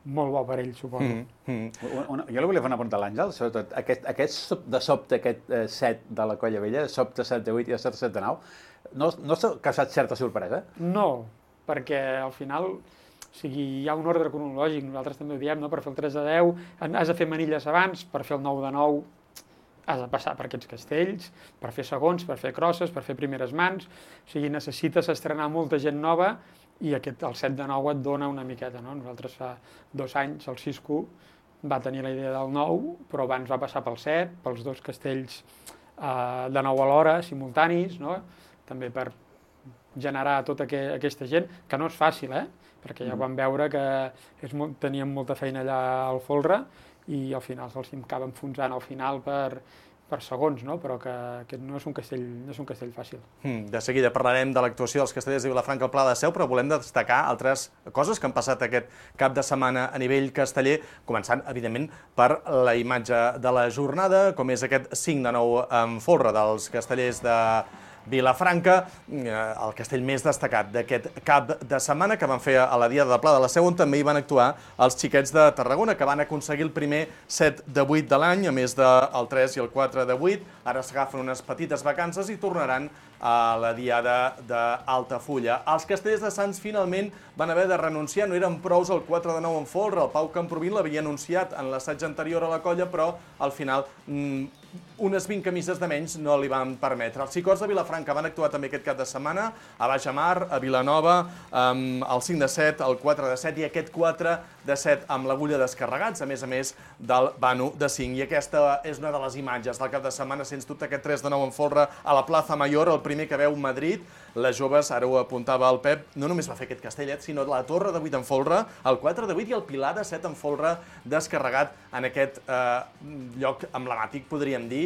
molt bo per ell, suposo. Jo li volia fer una pregunta a l'Àngel, sobretot aquest de sobte, aquest 7 de la colla vella, de sobte 7 de 8 i de sobte 7 de 9, no s'ha causat certa sorpresa? No, perquè al final hi ha un ordre cronològic, nosaltres també ho diem, per fer el 3 de 10 has de fer manilles abans, per fer el 9 de 9 has de passar per aquests castells, per fer segons, per fer crosses, per fer primeres mans, o sigui, necessites estrenar molta gent nova i el 7 de 9 et dona una miqueta, no? Nosaltres fa 2 anys, el Cisco va tenir la idea del 9, però abans va passar pel 7, pels dos castells de 9 alhora, simultanis, no? També per generar tota aquesta gent, que no és fàcil, perquè ja vam veure que teníem molta feina allà al folre i al final se'ls acaba enfonsant al final per segons, no? Però que no és un castell fàcil. De seguida parlarem de l'actuació dels Castellers de Vilafranca al Pla de la Seu, però volem destacar altres coses que han passat aquest cap de setmana a nivell casteller, començant, evidentment, per la imatge de la jornada, com és aquest 5 de 9 en folre dels Castellers de Vilafranca, el castell més destacat d'aquest cap de setmana que van fer a la Diada de Pla de la Seu, on també hi van actuar els xiquets de Tarragona, que van aconseguir el primer 7 de 8 de l'any, a més del 3 i el 4 de 8. Ara s'agafen unes petites vacances i tornaran a la Diada d'Altafulla. Els castellers de Sants finalment van haver de renunciar, no eren prous el 4 de 9 en folre. El Pau Camprovin l'havia anunciat en l'assaig anterior a la colla, però al final unes 20 camises de menys no li van permetre. Els Xicots de Vilafranca van actuar també aquest cap de setmana a Baix Amar, a Vilanova, el 5 de 7, el 4 de 7 i aquest 4 de 7 amb l'agulla descarregats, a més del Banu de 5. I aquesta és una de les imatges del cap de setmana, sens dubte, aquest 3 de 9 en folre a la Plaza Mayor, el primer que veu Madrid. Les joves, ara ho apuntava el Pep, no només va fer aquest castellet, sinó la torre de 8 en folre, el 4 de 8 i el pilar de 7 en folre descarregat en aquest lloc emblemàtic, podríem dir.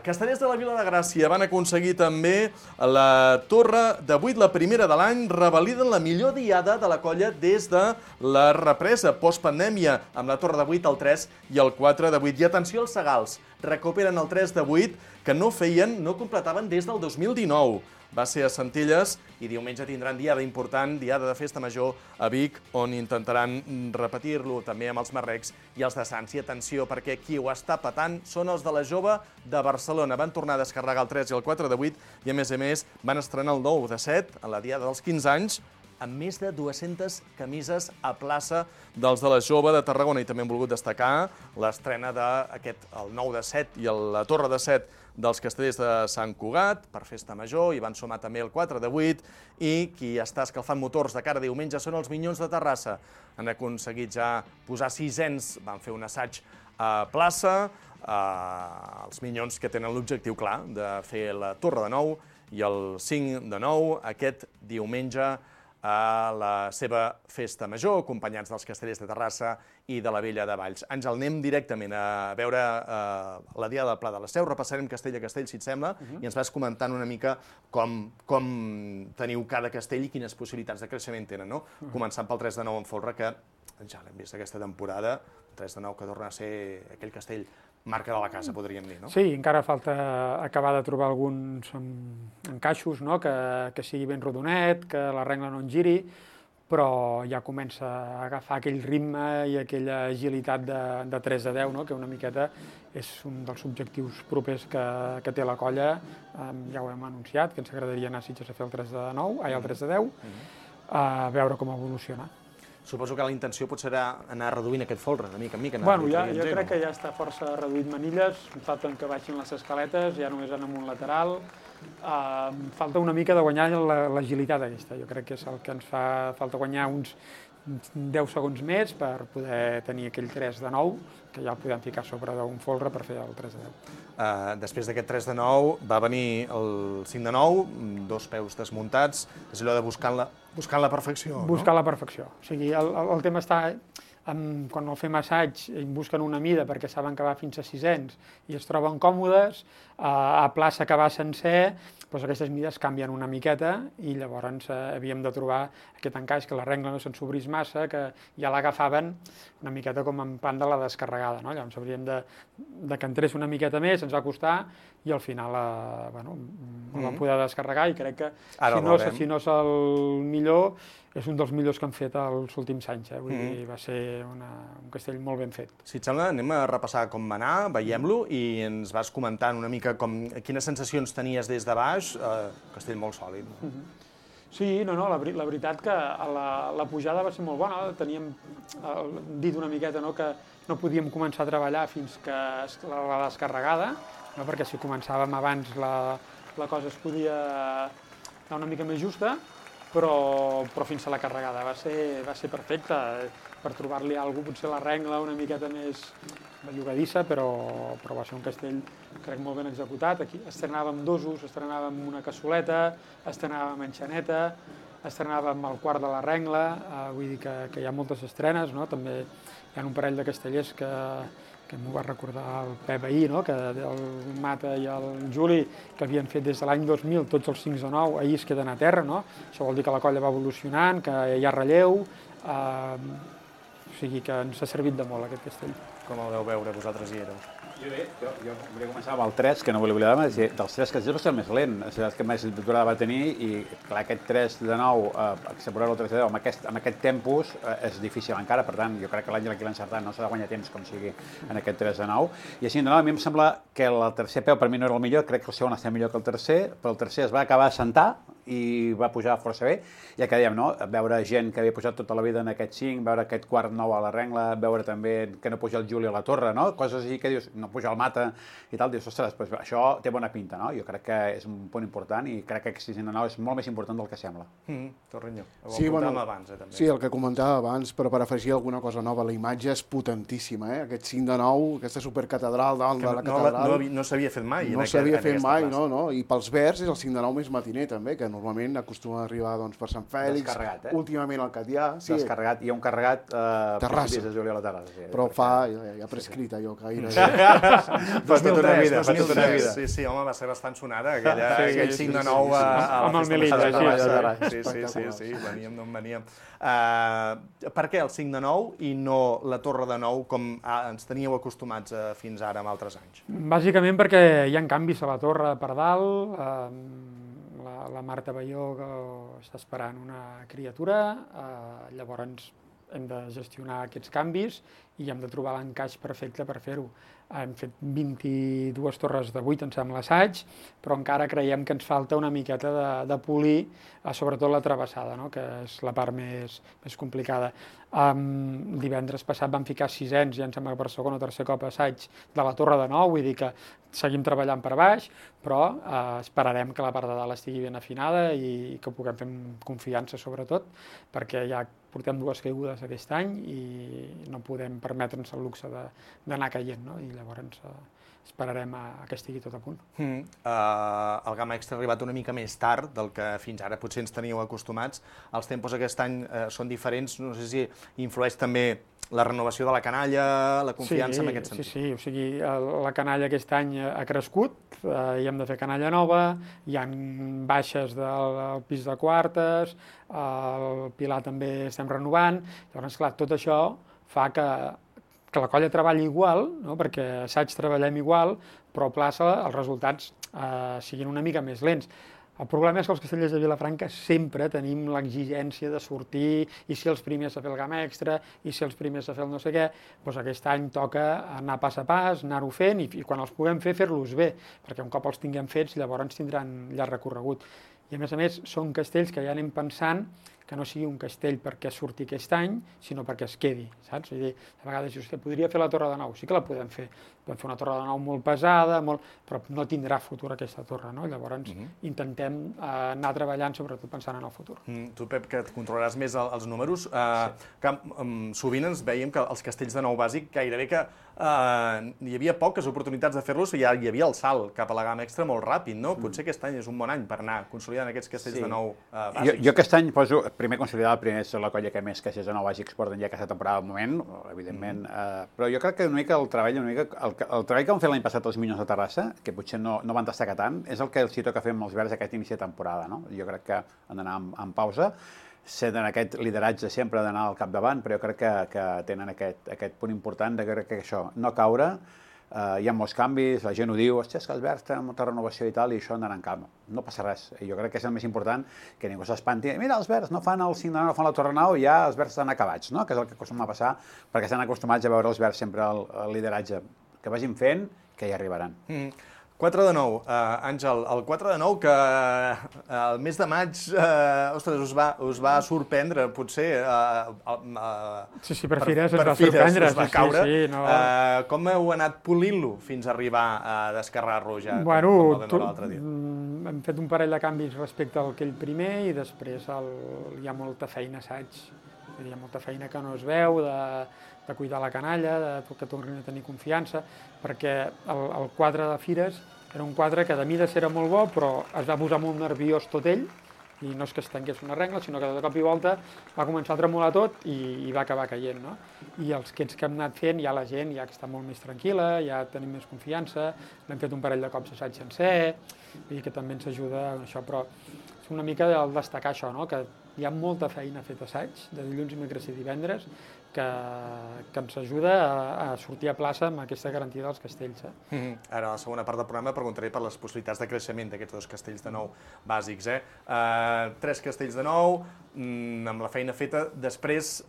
Castellers de la Vila de Gràcia van aconseguir també la torre de 8, la primera de l'any, revaliden la millor diada de la colla des de la represa postpandèmia, amb la torre de 8, el 3 i el 4 de 8. I atenció als Segals, recuperen el 3 de 8, que no completaven des del 2019. Va ser a Centelles i diumenge tindran diada important, diada de festa major a Vic, on intentaran repetir-lo també amb els marrecs i els de Sants. I atenció, perquè qui ho està patant són els de la Jove de Barcelona. Van tornar a descarregar el 3 i el 4 de 8 i, a més, van estrenar el 9 de 7 en la diada dels 15 anys, amb més de 200 camises a plaça dels de la Jove de Tarragona. I també hem volgut destacar l'estrena d'aquest, el 9 de 7 i la torre de 7 dels castellers de Sant Cugat per festa major, i van sumar també el 4 de 8, i qui està escalfant motors de cara a diumenge són els Minyons de Terrassa. Han aconseguit ja posar 600, van fer un assaig a plaça, els Minyons que tenen l'objectiu clar de fer la torre de 9 i el 5 de 9 aquest diumenge a la seva festa major, acompanyats dels castellers de Terrassa i de la Vella de Valls. Àngel, anem directament a veure la Diada del Pla de la Seu, repassarem castell a castell, si et sembla, i ens vas comentant una mica com teniu cada castell i quines possibilitats de creixement tenen, no? Començant pel 3 de 9 en folre, que ja l'hem vist aquesta temporada, 3 de 9 que torna a ser aquell castell marca de la casa, podríem dir, no? Sí, encara falta acabar de trobar alguns encaixos, no? Que sigui ben rodonet, que la regla no en giri, però ja comença a agafar aquell ritme i aquella agilitat de 3 de 10, no? Que una miqueta és un dels objectius propers que té la colla. Ja ho hem anunciat, que ens agradaria anar a Sitges a fer el 3 de 9, el 3 de 10, a veure com evoluciona. Suposo que la intenció potser serà anar reduint aquest folre, de mica en mica. Bueno, jo crec que ja està força reduït manilles, falten que baixin les escaletes, ja només en un lateral. Falta una mica de guanyar l'agilitat aquesta. Jo crec que és el que ens fa falta guanyar uns 10 segons més per poder tenir aquell 3 de 9, que ja el podem ficar sobre d'un folre per fer el 3 de 10. Després d'aquest 3 de 9 va venir el 5 de 9, dos peus desmuntats, és allò de buscant la perfecció. Buscar la perfecció. O sigui, el tema està quan el fem assaig busquen una mida perquè saben que va fins a 600 i es troben còmodes, a plaça que va sencer, doncs aquestes mides canvien una miqueta i llavors havíem de trobar aquest encaix, que la regla no se'n sobrís massa, que ja l'agafaven una miqueta com en pan de la descarregada, no? Llavors hauríem de que entrés una miqueta més, ens va costar, i al final el vam poder descarregar, i crec que si no és el millor, és un dels millors que han fet els últims anys. Vull dir, va ser un castell molt ben fet. Si et sembla, anem a repassar com va anar, veiem-lo, i ens vas comentant una mica quines sensacions tenies des de baix. Castell molt sòlid. Sí, la veritat que la pujada va ser molt bona. Teníem dit una miqueta que no podíem començar a treballar fins que la descarregada, perquè si començàvem abans la cosa es podia anar una mica més justa, però fins a la carregada va ser perfecta per trobar-li alguna cosa, potser la regla una miqueta més bellugadissa, però va ser un castell, crec, molt ben executat. Aquí estrenàvem dosos, estrenàvem una cassoleta, estrenàvem enxaneta, estrenàvem el quart de la regla, vull dir que hi ha moltes estrenes, no? També hi ha un parell de castellers que m'ho va recordar el Pep ahir, que el Mata i el Juli, que havien fet des de l'any 2000 tots els 5 de 9, ahir es queden a terra, no? Això vol dir que la colla va evolucionant, que hi ha relleu. sigui que ens ha servit de molt aquest castell. Com el veu veure? Vosaltres hi éreu. Jo volia començar amb el 3, que no volia oblidar, dels 3 castells va ser el més lent, és el que més durada va tenir, i clar, aquest 3 de 9, accepurar-lo el 3 de 10 amb aquest tempus és difícil encara, per tant, jo crec que l'Àngel aquí l'ha encertat, no s'ha de guanyar temps com sigui en aquest 3 de 9, i així de 9 a mi em sembla que el tercer peu per mi no era el millor, crec que el segon està millor que el tercer, però el tercer es va acabar a sentar i va pujar força bé, ja que dèiem, no? Veure gent que havia pujat tota la vida en aquest 5, veure aquest quart 9 a la Rengla, veure també que no puja el Juli a la Torre, no? Coses així que dius, no puja el Mata i tal, dius, ostres, pues això té bona pinta, no? Jo crec que és un punt important i crec que aquest 6 de 9 és molt més important del que sembla. Torreño, sí, bueno, abans, també. Sí, el que comentava abans, però per afegir alguna cosa nova, la imatge és potentíssima, aquest 5 de 9, aquesta supercatedral dalt de la catedral. No s'havia fet mai. No s'havia fet mai, no? I pels verds és el 5 de 9 més matiner, també, que normalment acostuma a arribar per Sant Fèlix, últimament al Catllà. Descarregat, hi ha un carregat Terrassa. de juliol a Terrassa. Però ja prescrit allò que gaire... Fa tota una vida. Sí, home, va ser bastant sonada, aquell 5 de 9 a la festa de Terrassa. Sí, veníem d'on veníem. Per què el 5 de 9 i no la Torre de 9 com ens teníeu acostumats fins ara en altres anys? Bàsicament perquè hi ha canvis a la torre per dalt, la Marta Balló que està esperant una criatura, llavors hem de gestionar aquests canvis i hem de trobar l'encaix perfecte per fer-ho. Hem fet 22 torres de 8, em sembla, assaig, però encara creiem que ens falta una miqueta de polir, sobretot la travessada, no? Que és la part més complicada. Divendres passat vam ficar 600, ja em sembla que per segon o tercer cop assaig de la Torre de 9, vull dir que seguim treballant per baix, però esperarem que la part de dalt estigui ben afinada i que ho puguem fer amb confiança, sobretot, perquè ja portem 2 caigudes aquest any i no podem permetre'ns el luxe d'anar caient, no? I llavors esperarem que estigui tot a punt. El Gamma Extra ha arribat una mica més tard del que fins ara potser ens teníeu acostumats. Els tempos aquest any són diferents, no sé si influeix també la renovació de la canalla, la confiança en aquest sentit. Sí, o sigui, la canalla aquest any ha crescut, i hem de fer canalla nova, hi ha baixes del pis de quartes, el pilar també estem renovant, llavors, clar, tot això fa que la colla treballi igual, no? Perquè assaig treballem igual, però a plaça els resultats siguin una mica més lents. El problema és que els castellers de Vilafranca sempre tenim l'exigència de sortir i ser els primers a fer el Gamma Extra i ser els primers a fer el no sé què, doncs aquest any toca anar pas a pas, anar-ho fent i quan els puguem fer-los bé, perquè un cop els tinguem fets llavors tindran llarg recorregut. I a més, són castells que ja anem pensant que no sigui un castell perquè surti aquest any, sinó perquè es quedi, saps? Vull dir, a vegades dius que podria fer la Torre de 9, sí que la podem fer una Torre de 9 molt pesada, però no tindrà futur aquesta torre, no? Llavors intentem anar treballant sobretot pensant en el futur. Tu, Pep, que et controlaràs més els números, sovint ens veiem que els castells de 9 bàsic gairebé que hi havia poques oportunitats de fer-los i hi havia el salt cap a la Gamma Extra molt ràpid, no? Potser aquest any és un bon any per anar consolidant aquests castells de 9 bàsics. Jo aquest any poso primer consolidar el primer és la colla que més castells de 9 bàsics porten ja aquesta temporada al moment, evidentment, però jo crec que una mica el treball que vam fer l'any passat els Minyons de Terrassa, que potser no van destacar tant, és el que els toca fer amb els verds aquest inici de temporada, no? Jo crec que han d'anar en pausa, sent aquest lideratge sempre d'anar al capdavant, però jo crec que tenen aquest punt important de que això, no caure, hi ha molts canvis, la gent ho diu, hòstia, és que els verds tenen molta renovació i tal, i això anarà en calma. No passa res. Jo crec que és el més important, que ningú s'espanti. Mira, els verds no fan el 5 de 9, no fan la Torre 9, i ja els verds estan acabats, no? Que és el que acostuma a passar, perquè estan acostumats a veure els verds sempre el lideratge. Que vagin fent, que hi arribaran. 4 de 9, Àngel, el 4 de 9 que el mes de maig, ostres, us va sorprendre, potser... Sí, per Fires ens va sorprendre. Us va caure. Com heu anat polint-lo fins a arribar a descarregar-lo ja? Bueno, hem fet un parell de canvis respecte al aquell primer i després hi ha molta feina assaig. Hi ha molta feina que no es veu, de cuidar la canalla, que tornin a tenir confiança, perquè el quadre de Fires era un quadre que de mides era molt bo, però es va posar molt nerviós tot ell, i no és que es tanqués una regla, sinó que de cop i volta va començar a tremolar tot i va acabar caient, no? I els que hem anat fent, ja la gent ja està molt més tranquil·la, ja tenim més confiança, l'hem fet un parell de cops assaig sencer, vull dir que també ens ajuda això, però és una mica el destacar això, no? Que hi ha molta feina feta assaig, de dilluns, dimecres i divendres, que ens ajuda a sortir a plaça amb aquesta garantia dels castells. Ara, a la segona part del programa, preguntaré per les possibilitats de creixement d'aquests 2 castells de nou bàsics. 3 castells de nou, amb la feina feta. Després,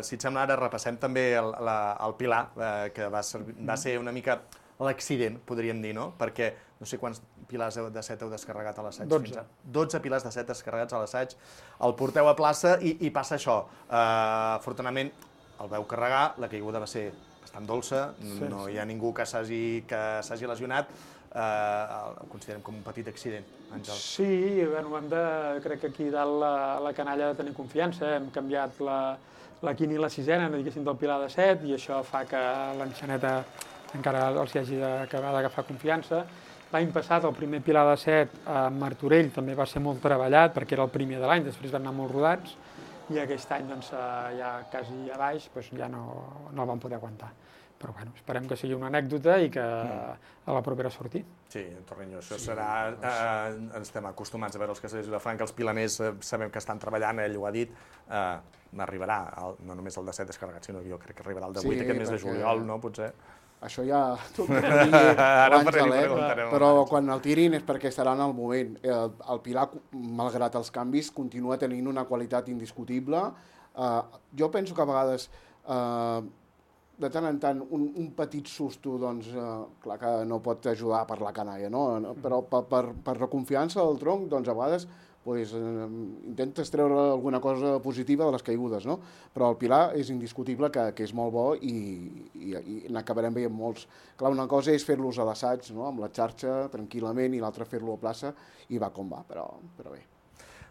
si et sembla, ara repassem també el Pilar, que va ser una mica l'accident, podríem dir, no? Perquè no sé quants pilars de 7 heu descarregat a l'assaig. 12 pilars de 7 descarregats a l'assaig. El porteu a plaça i passa això. Afortunadament, el veu carregar, la caiguda va ser bastant dolça, no hi ha ningú que s'hagi lesionat. Ho considerem com un petit accident, Àngel. Sí, crec que aquí dalt la canalla ha de tenir confiança. Hem canviat la quina i la sisena, diguéssim, del pilar de 7, i això fa que l'enxaneta encara els hagi d'acabar d'agafar confiança. L'any passat, el primer pilar de 7 a Martorell també va ser molt treballat, perquè era el primer de l'any, després van anar molt rodats, i aquest any, ja quasi a baix, ja no el vam poder aguantar. Però bueno, esperem que sigui una anècdota i que a la propera surti. Sí, Torriño, això serà... Estem acostumats a veure els castells de Vilafranca, els pilaners sabem que estan treballant, ell ho ha dit, arribarà, no només el de 7 descarregat, sinó que jo crec que arribarà el de 8 aquest mes de juliol, no? Potser... Això ja tocarà dir l'Àngel, però quan el tirin és perquè estarà en el moment. El Pilar, malgrat els canvis, continua tenint una qualitat indiscutible. Jo penso que a vegades, de tant en tant, un petit susto, doncs, clar que no pot ajudar per la canalla, no? Però per la confiança del tronc, doncs, a vegades intentes treure alguna cosa positiva de les caigudes, no? Però el Pilar és indiscutible que és molt bo i n'acabarem veient molts. Clar, una cosa és fer-los a l'assaig, no? Amb la xarxa, tranquil·lament, i l'altra fer-lo a plaça, i va com va, però bé.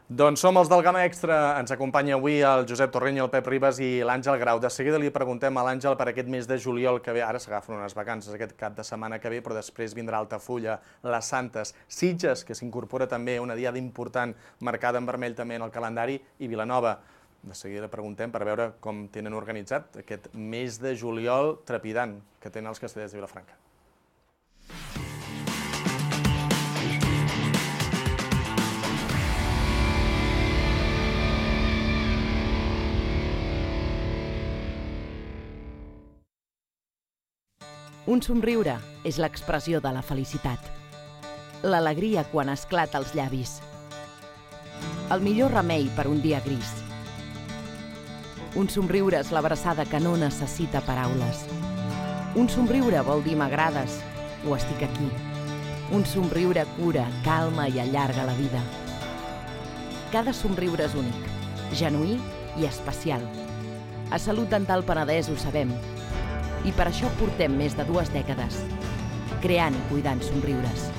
Doncs som els del Gamma Extra. Ens acompanya avui el Josep Torriño, el Pep Ribas i l'Àngel Grau. De seguida li preguntem a l'Àngel per aquest mes de juliol que ve. Ara s'agafen unes vacances aquest cap de setmana que ve, però després vindrà Altafulla, les Santes, Sitges, que s'incorpora també una diada important marcada en vermell també en el calendari, i Vilanova. De seguida li preguntem per veure com tenen organitzat aquest mes de juliol trepidant que tenen els castellers de Vilafranca. Un somriure és l'expressió de la felicitat. L'alegria quan esclata als llavis. El millor remei per un dia gris. Un somriure és l'abraçada que no necessita paraules. Un somriure vol dir m'agrades o estic aquí. Un somriure cura, calma i allarga la vida. Cada somriure és únic, genuí i especial. A Salut Dental Penedès ho sabem. I per això portem més de 2 dècades, creant i cuidant somriures.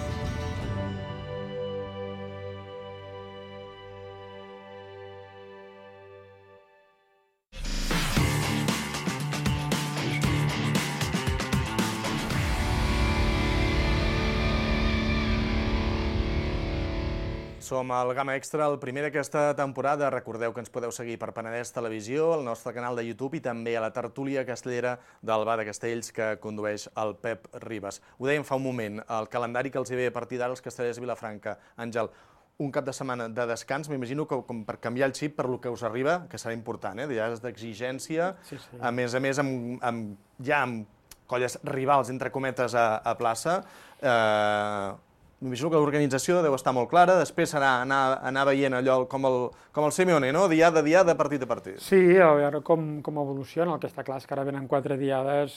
Som al Gamma Extra, el primer d'aquesta temporada. Recordeu que ens podeu seguir per Penedès Televisió, el nostre canal de YouTube i també a la tertúlia castellera del Bar de Castells que condueix el Pep Ribas. Ho dèiem fa un moment, el calendari que els ve a partir d'ara als castellers de Vilafranca. Àngel, un cap de setmana de descans, m'imagino que com per canviar el xip per lo que us arriba, que serà important, dies d'exigència, a més, ja amb colles rivals, entre cometes, a plaça. M'imagino que l'organització deu estar molt clara, després serà anar veient allò com el Simeone, no? Diada a diada, partit a partit. Sí, a veure com evoluciona. El que està clar és que ara venen 4 diades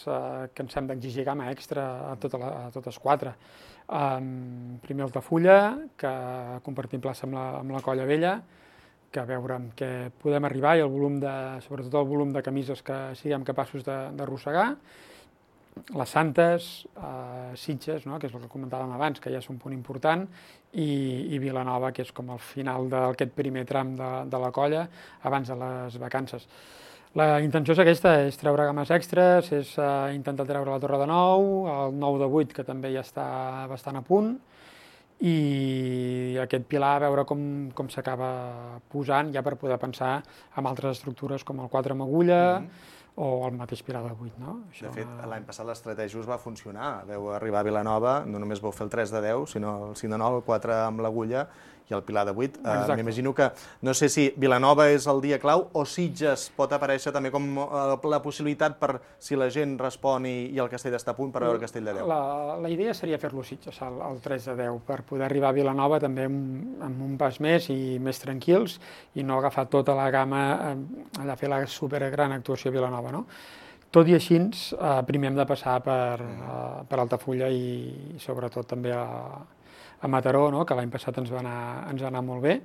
que ens hem d'exigir Gamma Extra a totes 4. Primer Altafulla, que compartim plaça amb la Colla Vella, que a veure amb què podem arribar i sobretot el volum de camises que siguem capaços d'arrossegar. Les Santes, Sitges, que és el que comentàvem abans, que ja és un punt important, i Vilanova, que és com el final d'aquest primer tram de la colla, abans de les vacances. La intenció és aquesta, és treure games extres, és intentar treure la Torre de Nou, el 9 de 8, que també ja està bastant a punt, i aquest pilar a veure com s'acaba posant, ja per poder pensar en altres estructures com el 4 amb agulla, o el mateix pilar de 8, no? De fet, l'any passat l'estratègia us va funcionar. Vau arribar a Vilanova, no només vau fer el 3 de 10, sinó el 5 de 9, el 4 amb l'agulla, i el Pilar de 8. M'imagino que, no sé si Vilanova és el dia clau o Sitges pot aparèixer també com la possibilitat per, si la gent respon i el Castell està a punt, per veure el Castell de 10. La idea seria fer-lo Sitges, el 3 de 10, per poder arribar a Vilanova també amb un pas més i més tranquils i no agafar tota la gamma allà a fer la supergran actuació a Vilanova, no? Tot i així, primer hem de passar per Altafulla i sobretot també a Mataró, no? Que l'any passat ens va anar molt bé.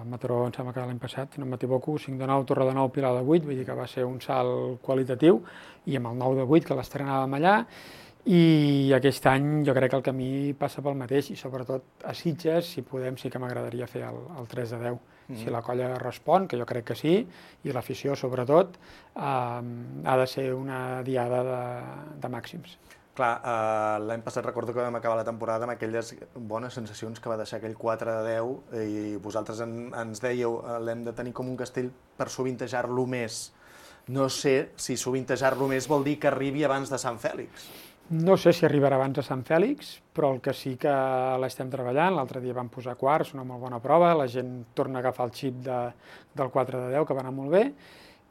Mataró em sembla que l'any passat, si no m'equivoco, 5 de 9, Torre de 9, Pilar de 8, vull dir que va ser un salt qualitatiu, i amb el 9 de 8, que l'estrenàvem allà, i aquest any jo crec que el camí passa pel mateix, i sobretot a Sitges, si podem, sí que m'agradaria fer el 3 de 10. Si la colla respon, que jo crec que sí, i l'afició sobretot, ha de ser una diada de màxims. Clar, l'any passat recordo que vam acabar la temporada amb aquelles bones sensacions que va deixar aquell 4 de 10 i vosaltres ens dèieu l'hem de tenir com un castell per sovintejar-lo més. No sé si sovintejar-lo més vol dir que arribi abans de Sant Fèlix. No sé si arribarà abans de Sant Fèlix, però el que sí que l'estem treballant, l'altre dia vam posar quarts, una molt bona prova, la gent torna a agafar el xip del 4 de 10, que va anar molt bé,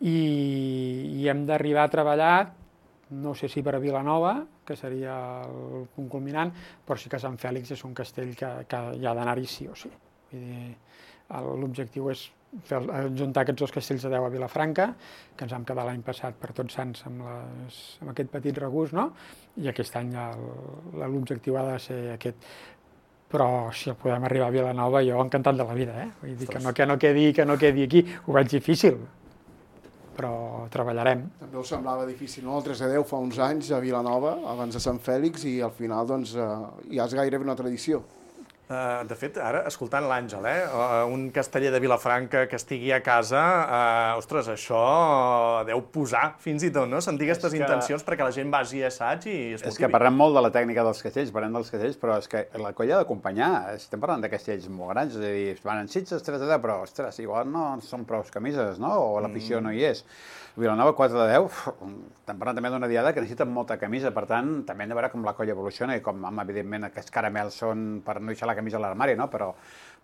i hem d'arribar a treballar, no sé si per a Vilanova, que seria el punt culminant, però sí que Sant Fèlix és un castell que hi ha d'anar-hi sí o sí. L'objectiu és juntar aquests dos castells de 10 a Vilafranca, que ens vam quedar l'any passat per Tots Sants amb aquest petit regust, no? I aquest any l'objectiu ha de ser aquest. Però si el podem arribar a Vilanova, jo encantat de la vida, Vull dir que no quedi aquí, ho veig difícil, però treballarem. També us semblava difícil, no? El 3 de 10 fa uns anys a Vilanova, abans de Sant Fèlix, i al final doncs ja és gairebé una tradició. De fet, ara, escoltant l'Àngel, un casteller de Vilafranca que estigui a casa, ostres, això deu posar fins i tot, no? Sentir aquestes intencions perquè la gent vagi a assaig i es motivi. És que parlem molt de la tècnica dels castells, però és que la colla ha d'acompanyar. Estem parlant de castells molt grans, és a dir, van en Sitges 3 de 10, però, ostres, igual no són prou camises, no? O l'afició no hi és. Vilanova 4 de 10, estem parlant també d'una diada que necessita molta camisa, per tant, també hem de veure com la colla evoluciona i com, evidentment, aquests caramels són per no deixar la camisa a l'armari, no? Però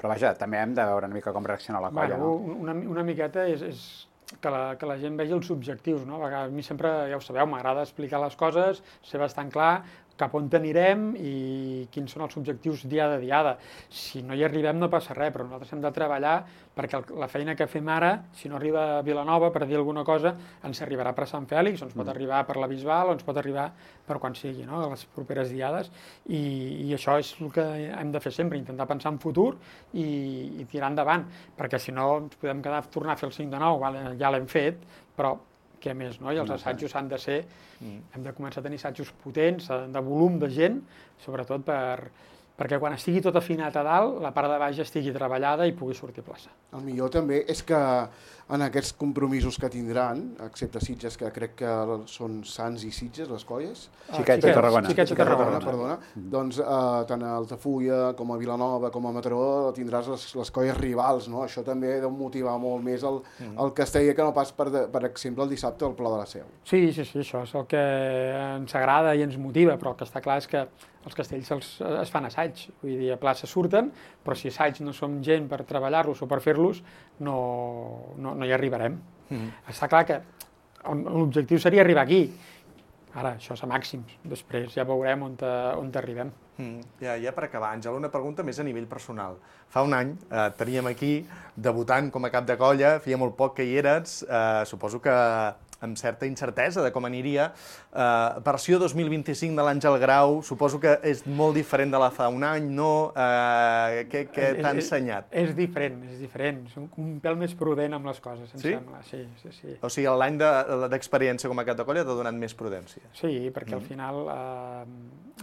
vaja, també hem de veure una mica com reacciona la colla, no? Una miqueta és que la gent vegi els objectius, no? A mi sempre, ja ho sabeu, m'agrada explicar les coses, ser bastant clar, cap on anirem i quins són els objectius diada a diada. Si no hi arribem no passa res, però nosaltres hem de treballar perquè la feina que fem ara, si no arriba a Vilanova per dir alguna cosa, ens arribarà per Sant Fèlix, o ens pot arribar per la Bisbal, o ens pot arribar per quan sigui, no? A les properes diades, i això és el que hem de fer sempre, intentar pensar en futur i tirar endavant, perquè si no ens podem tornar a fer el 5 de 9, ja l'hem fet, però què més, no? I els assajos han de ser, hem de començar a tenir assajos potents, de volum de gent, sobretot perquè quan estigui tot afinat a dalt, la part de baix estigui treballada i pugui sortir a plaça. El millor també és que en aquests compromisos que tindran, excepte Sitges, que crec que són Sants i Sitges, les colles. Xiquets de Tarragona. Xiquets de Tarragona, perdona. Doncs tant a Altafulla com a Vilanova com a Mataró tindràs les colles rivals, no? Això també ha de motivar molt més el Castell que no pas, per exemple, el dissabte al Pla de la Seu. Sí, això és el que ens agrada i ens motiva, però el que està clar és que els castells es fan assaig, vull dir, a plaça surten, però si assaig no som gent per treballar-los o per fer-los, no hi arribarem. Està clar que l'objectiu seria arribar aquí. Ara, això és a màxims. Després ja veurem on arribem. Ja per acabar, Àngel, una pregunta més a nivell personal. Fa un any teníem aquí, debutant com a cap de colla, feia molt poc que hi eres, suposo que amb certa incertesa de com aniria. Versió 2025 de l'Àngel Grau, suposo que és molt diferent de la fa un any, no? Què t'ha ensenyat? És diferent. Som un pèl més prudent amb les coses, em sembla. Sí. O sigui, l'any d'experiència com a cap de colla t'ha donat més prudència. Sí, perquè al final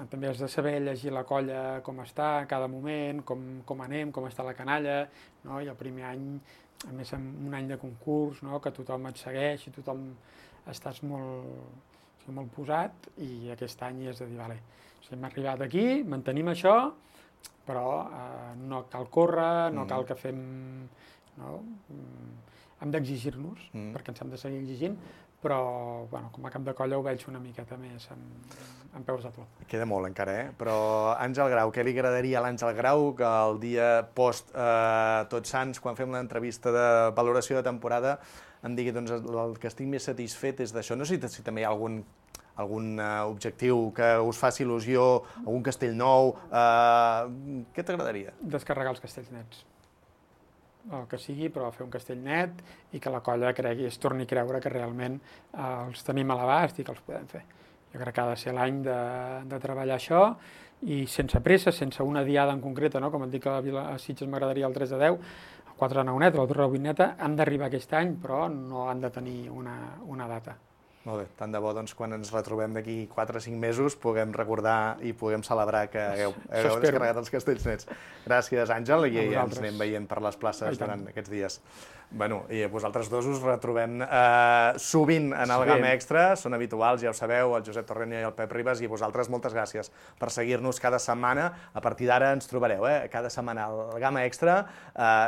també has de saber llegir la colla com està en cada moment, com anem, com està la canalla, no? I el primer any, a més en un any de concurs, no? Que tothom et segueix i tothom estàs molt posat, i aquest any has de dir, vale, hem arribat aquí, mantenim això, però no cal córrer, no cal que fem... No? hem d'exigir-nos, perquè ens hem de seguir exigint, però com a cap de colla ho veig una miqueta més en peus de plom. Queda molt encara, Però Àngel Grau, què li agradaria a l'Àngel Grau que el dia post Tots Sants, quan fem l'entrevista de valoració de temporada, em digui, doncs, el que estic més satisfet és d'això. No sé si també hi ha algun objectiu que us faci il·lusió, algun castell nou, què t'agradaria? Descarregar els castells nets. El que sigui, però fer un castell net i que la colla es torni a creure que realment els tenim a l'abast i que els podem fer. Jo crec que ha de ser l'any de treballar això i sense pressa, sense una diada en concreta, com et dic que a Sitges m'agradaria el 3 de 10, el 4 de 9 net, la Torre de 8 neta, han d'arribar aquest any, però no han de tenir una data. Molt bé, tant de bo, doncs, quan ens retrobem d'aquí 4 o 5 mesos puguem recordar i puguem celebrar que hagueu descarregat els castells nets. Gràcies, Àngel, i ens anem veient per les places durant aquests dies. Bueno, i vosaltres dos us retrobem sovint en el Gamma Extra, són habituals, ja ho sabeu, el Josep Torrenya i el Pep Ribas, i vosaltres moltes gràcies per seguir-nos cada setmana. A partir d'ara ens trobareu, cada setmana al Gamma Extra,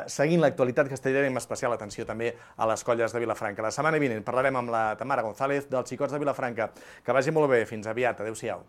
seguint l'actualitat castellera i amb especial atenció també a les colles de Vilafranca. La setmana vinent parlarem amb la Tamara González dels Xicots de Vilafranca. Que vagi molt bé, fins aviat, adéu-siau.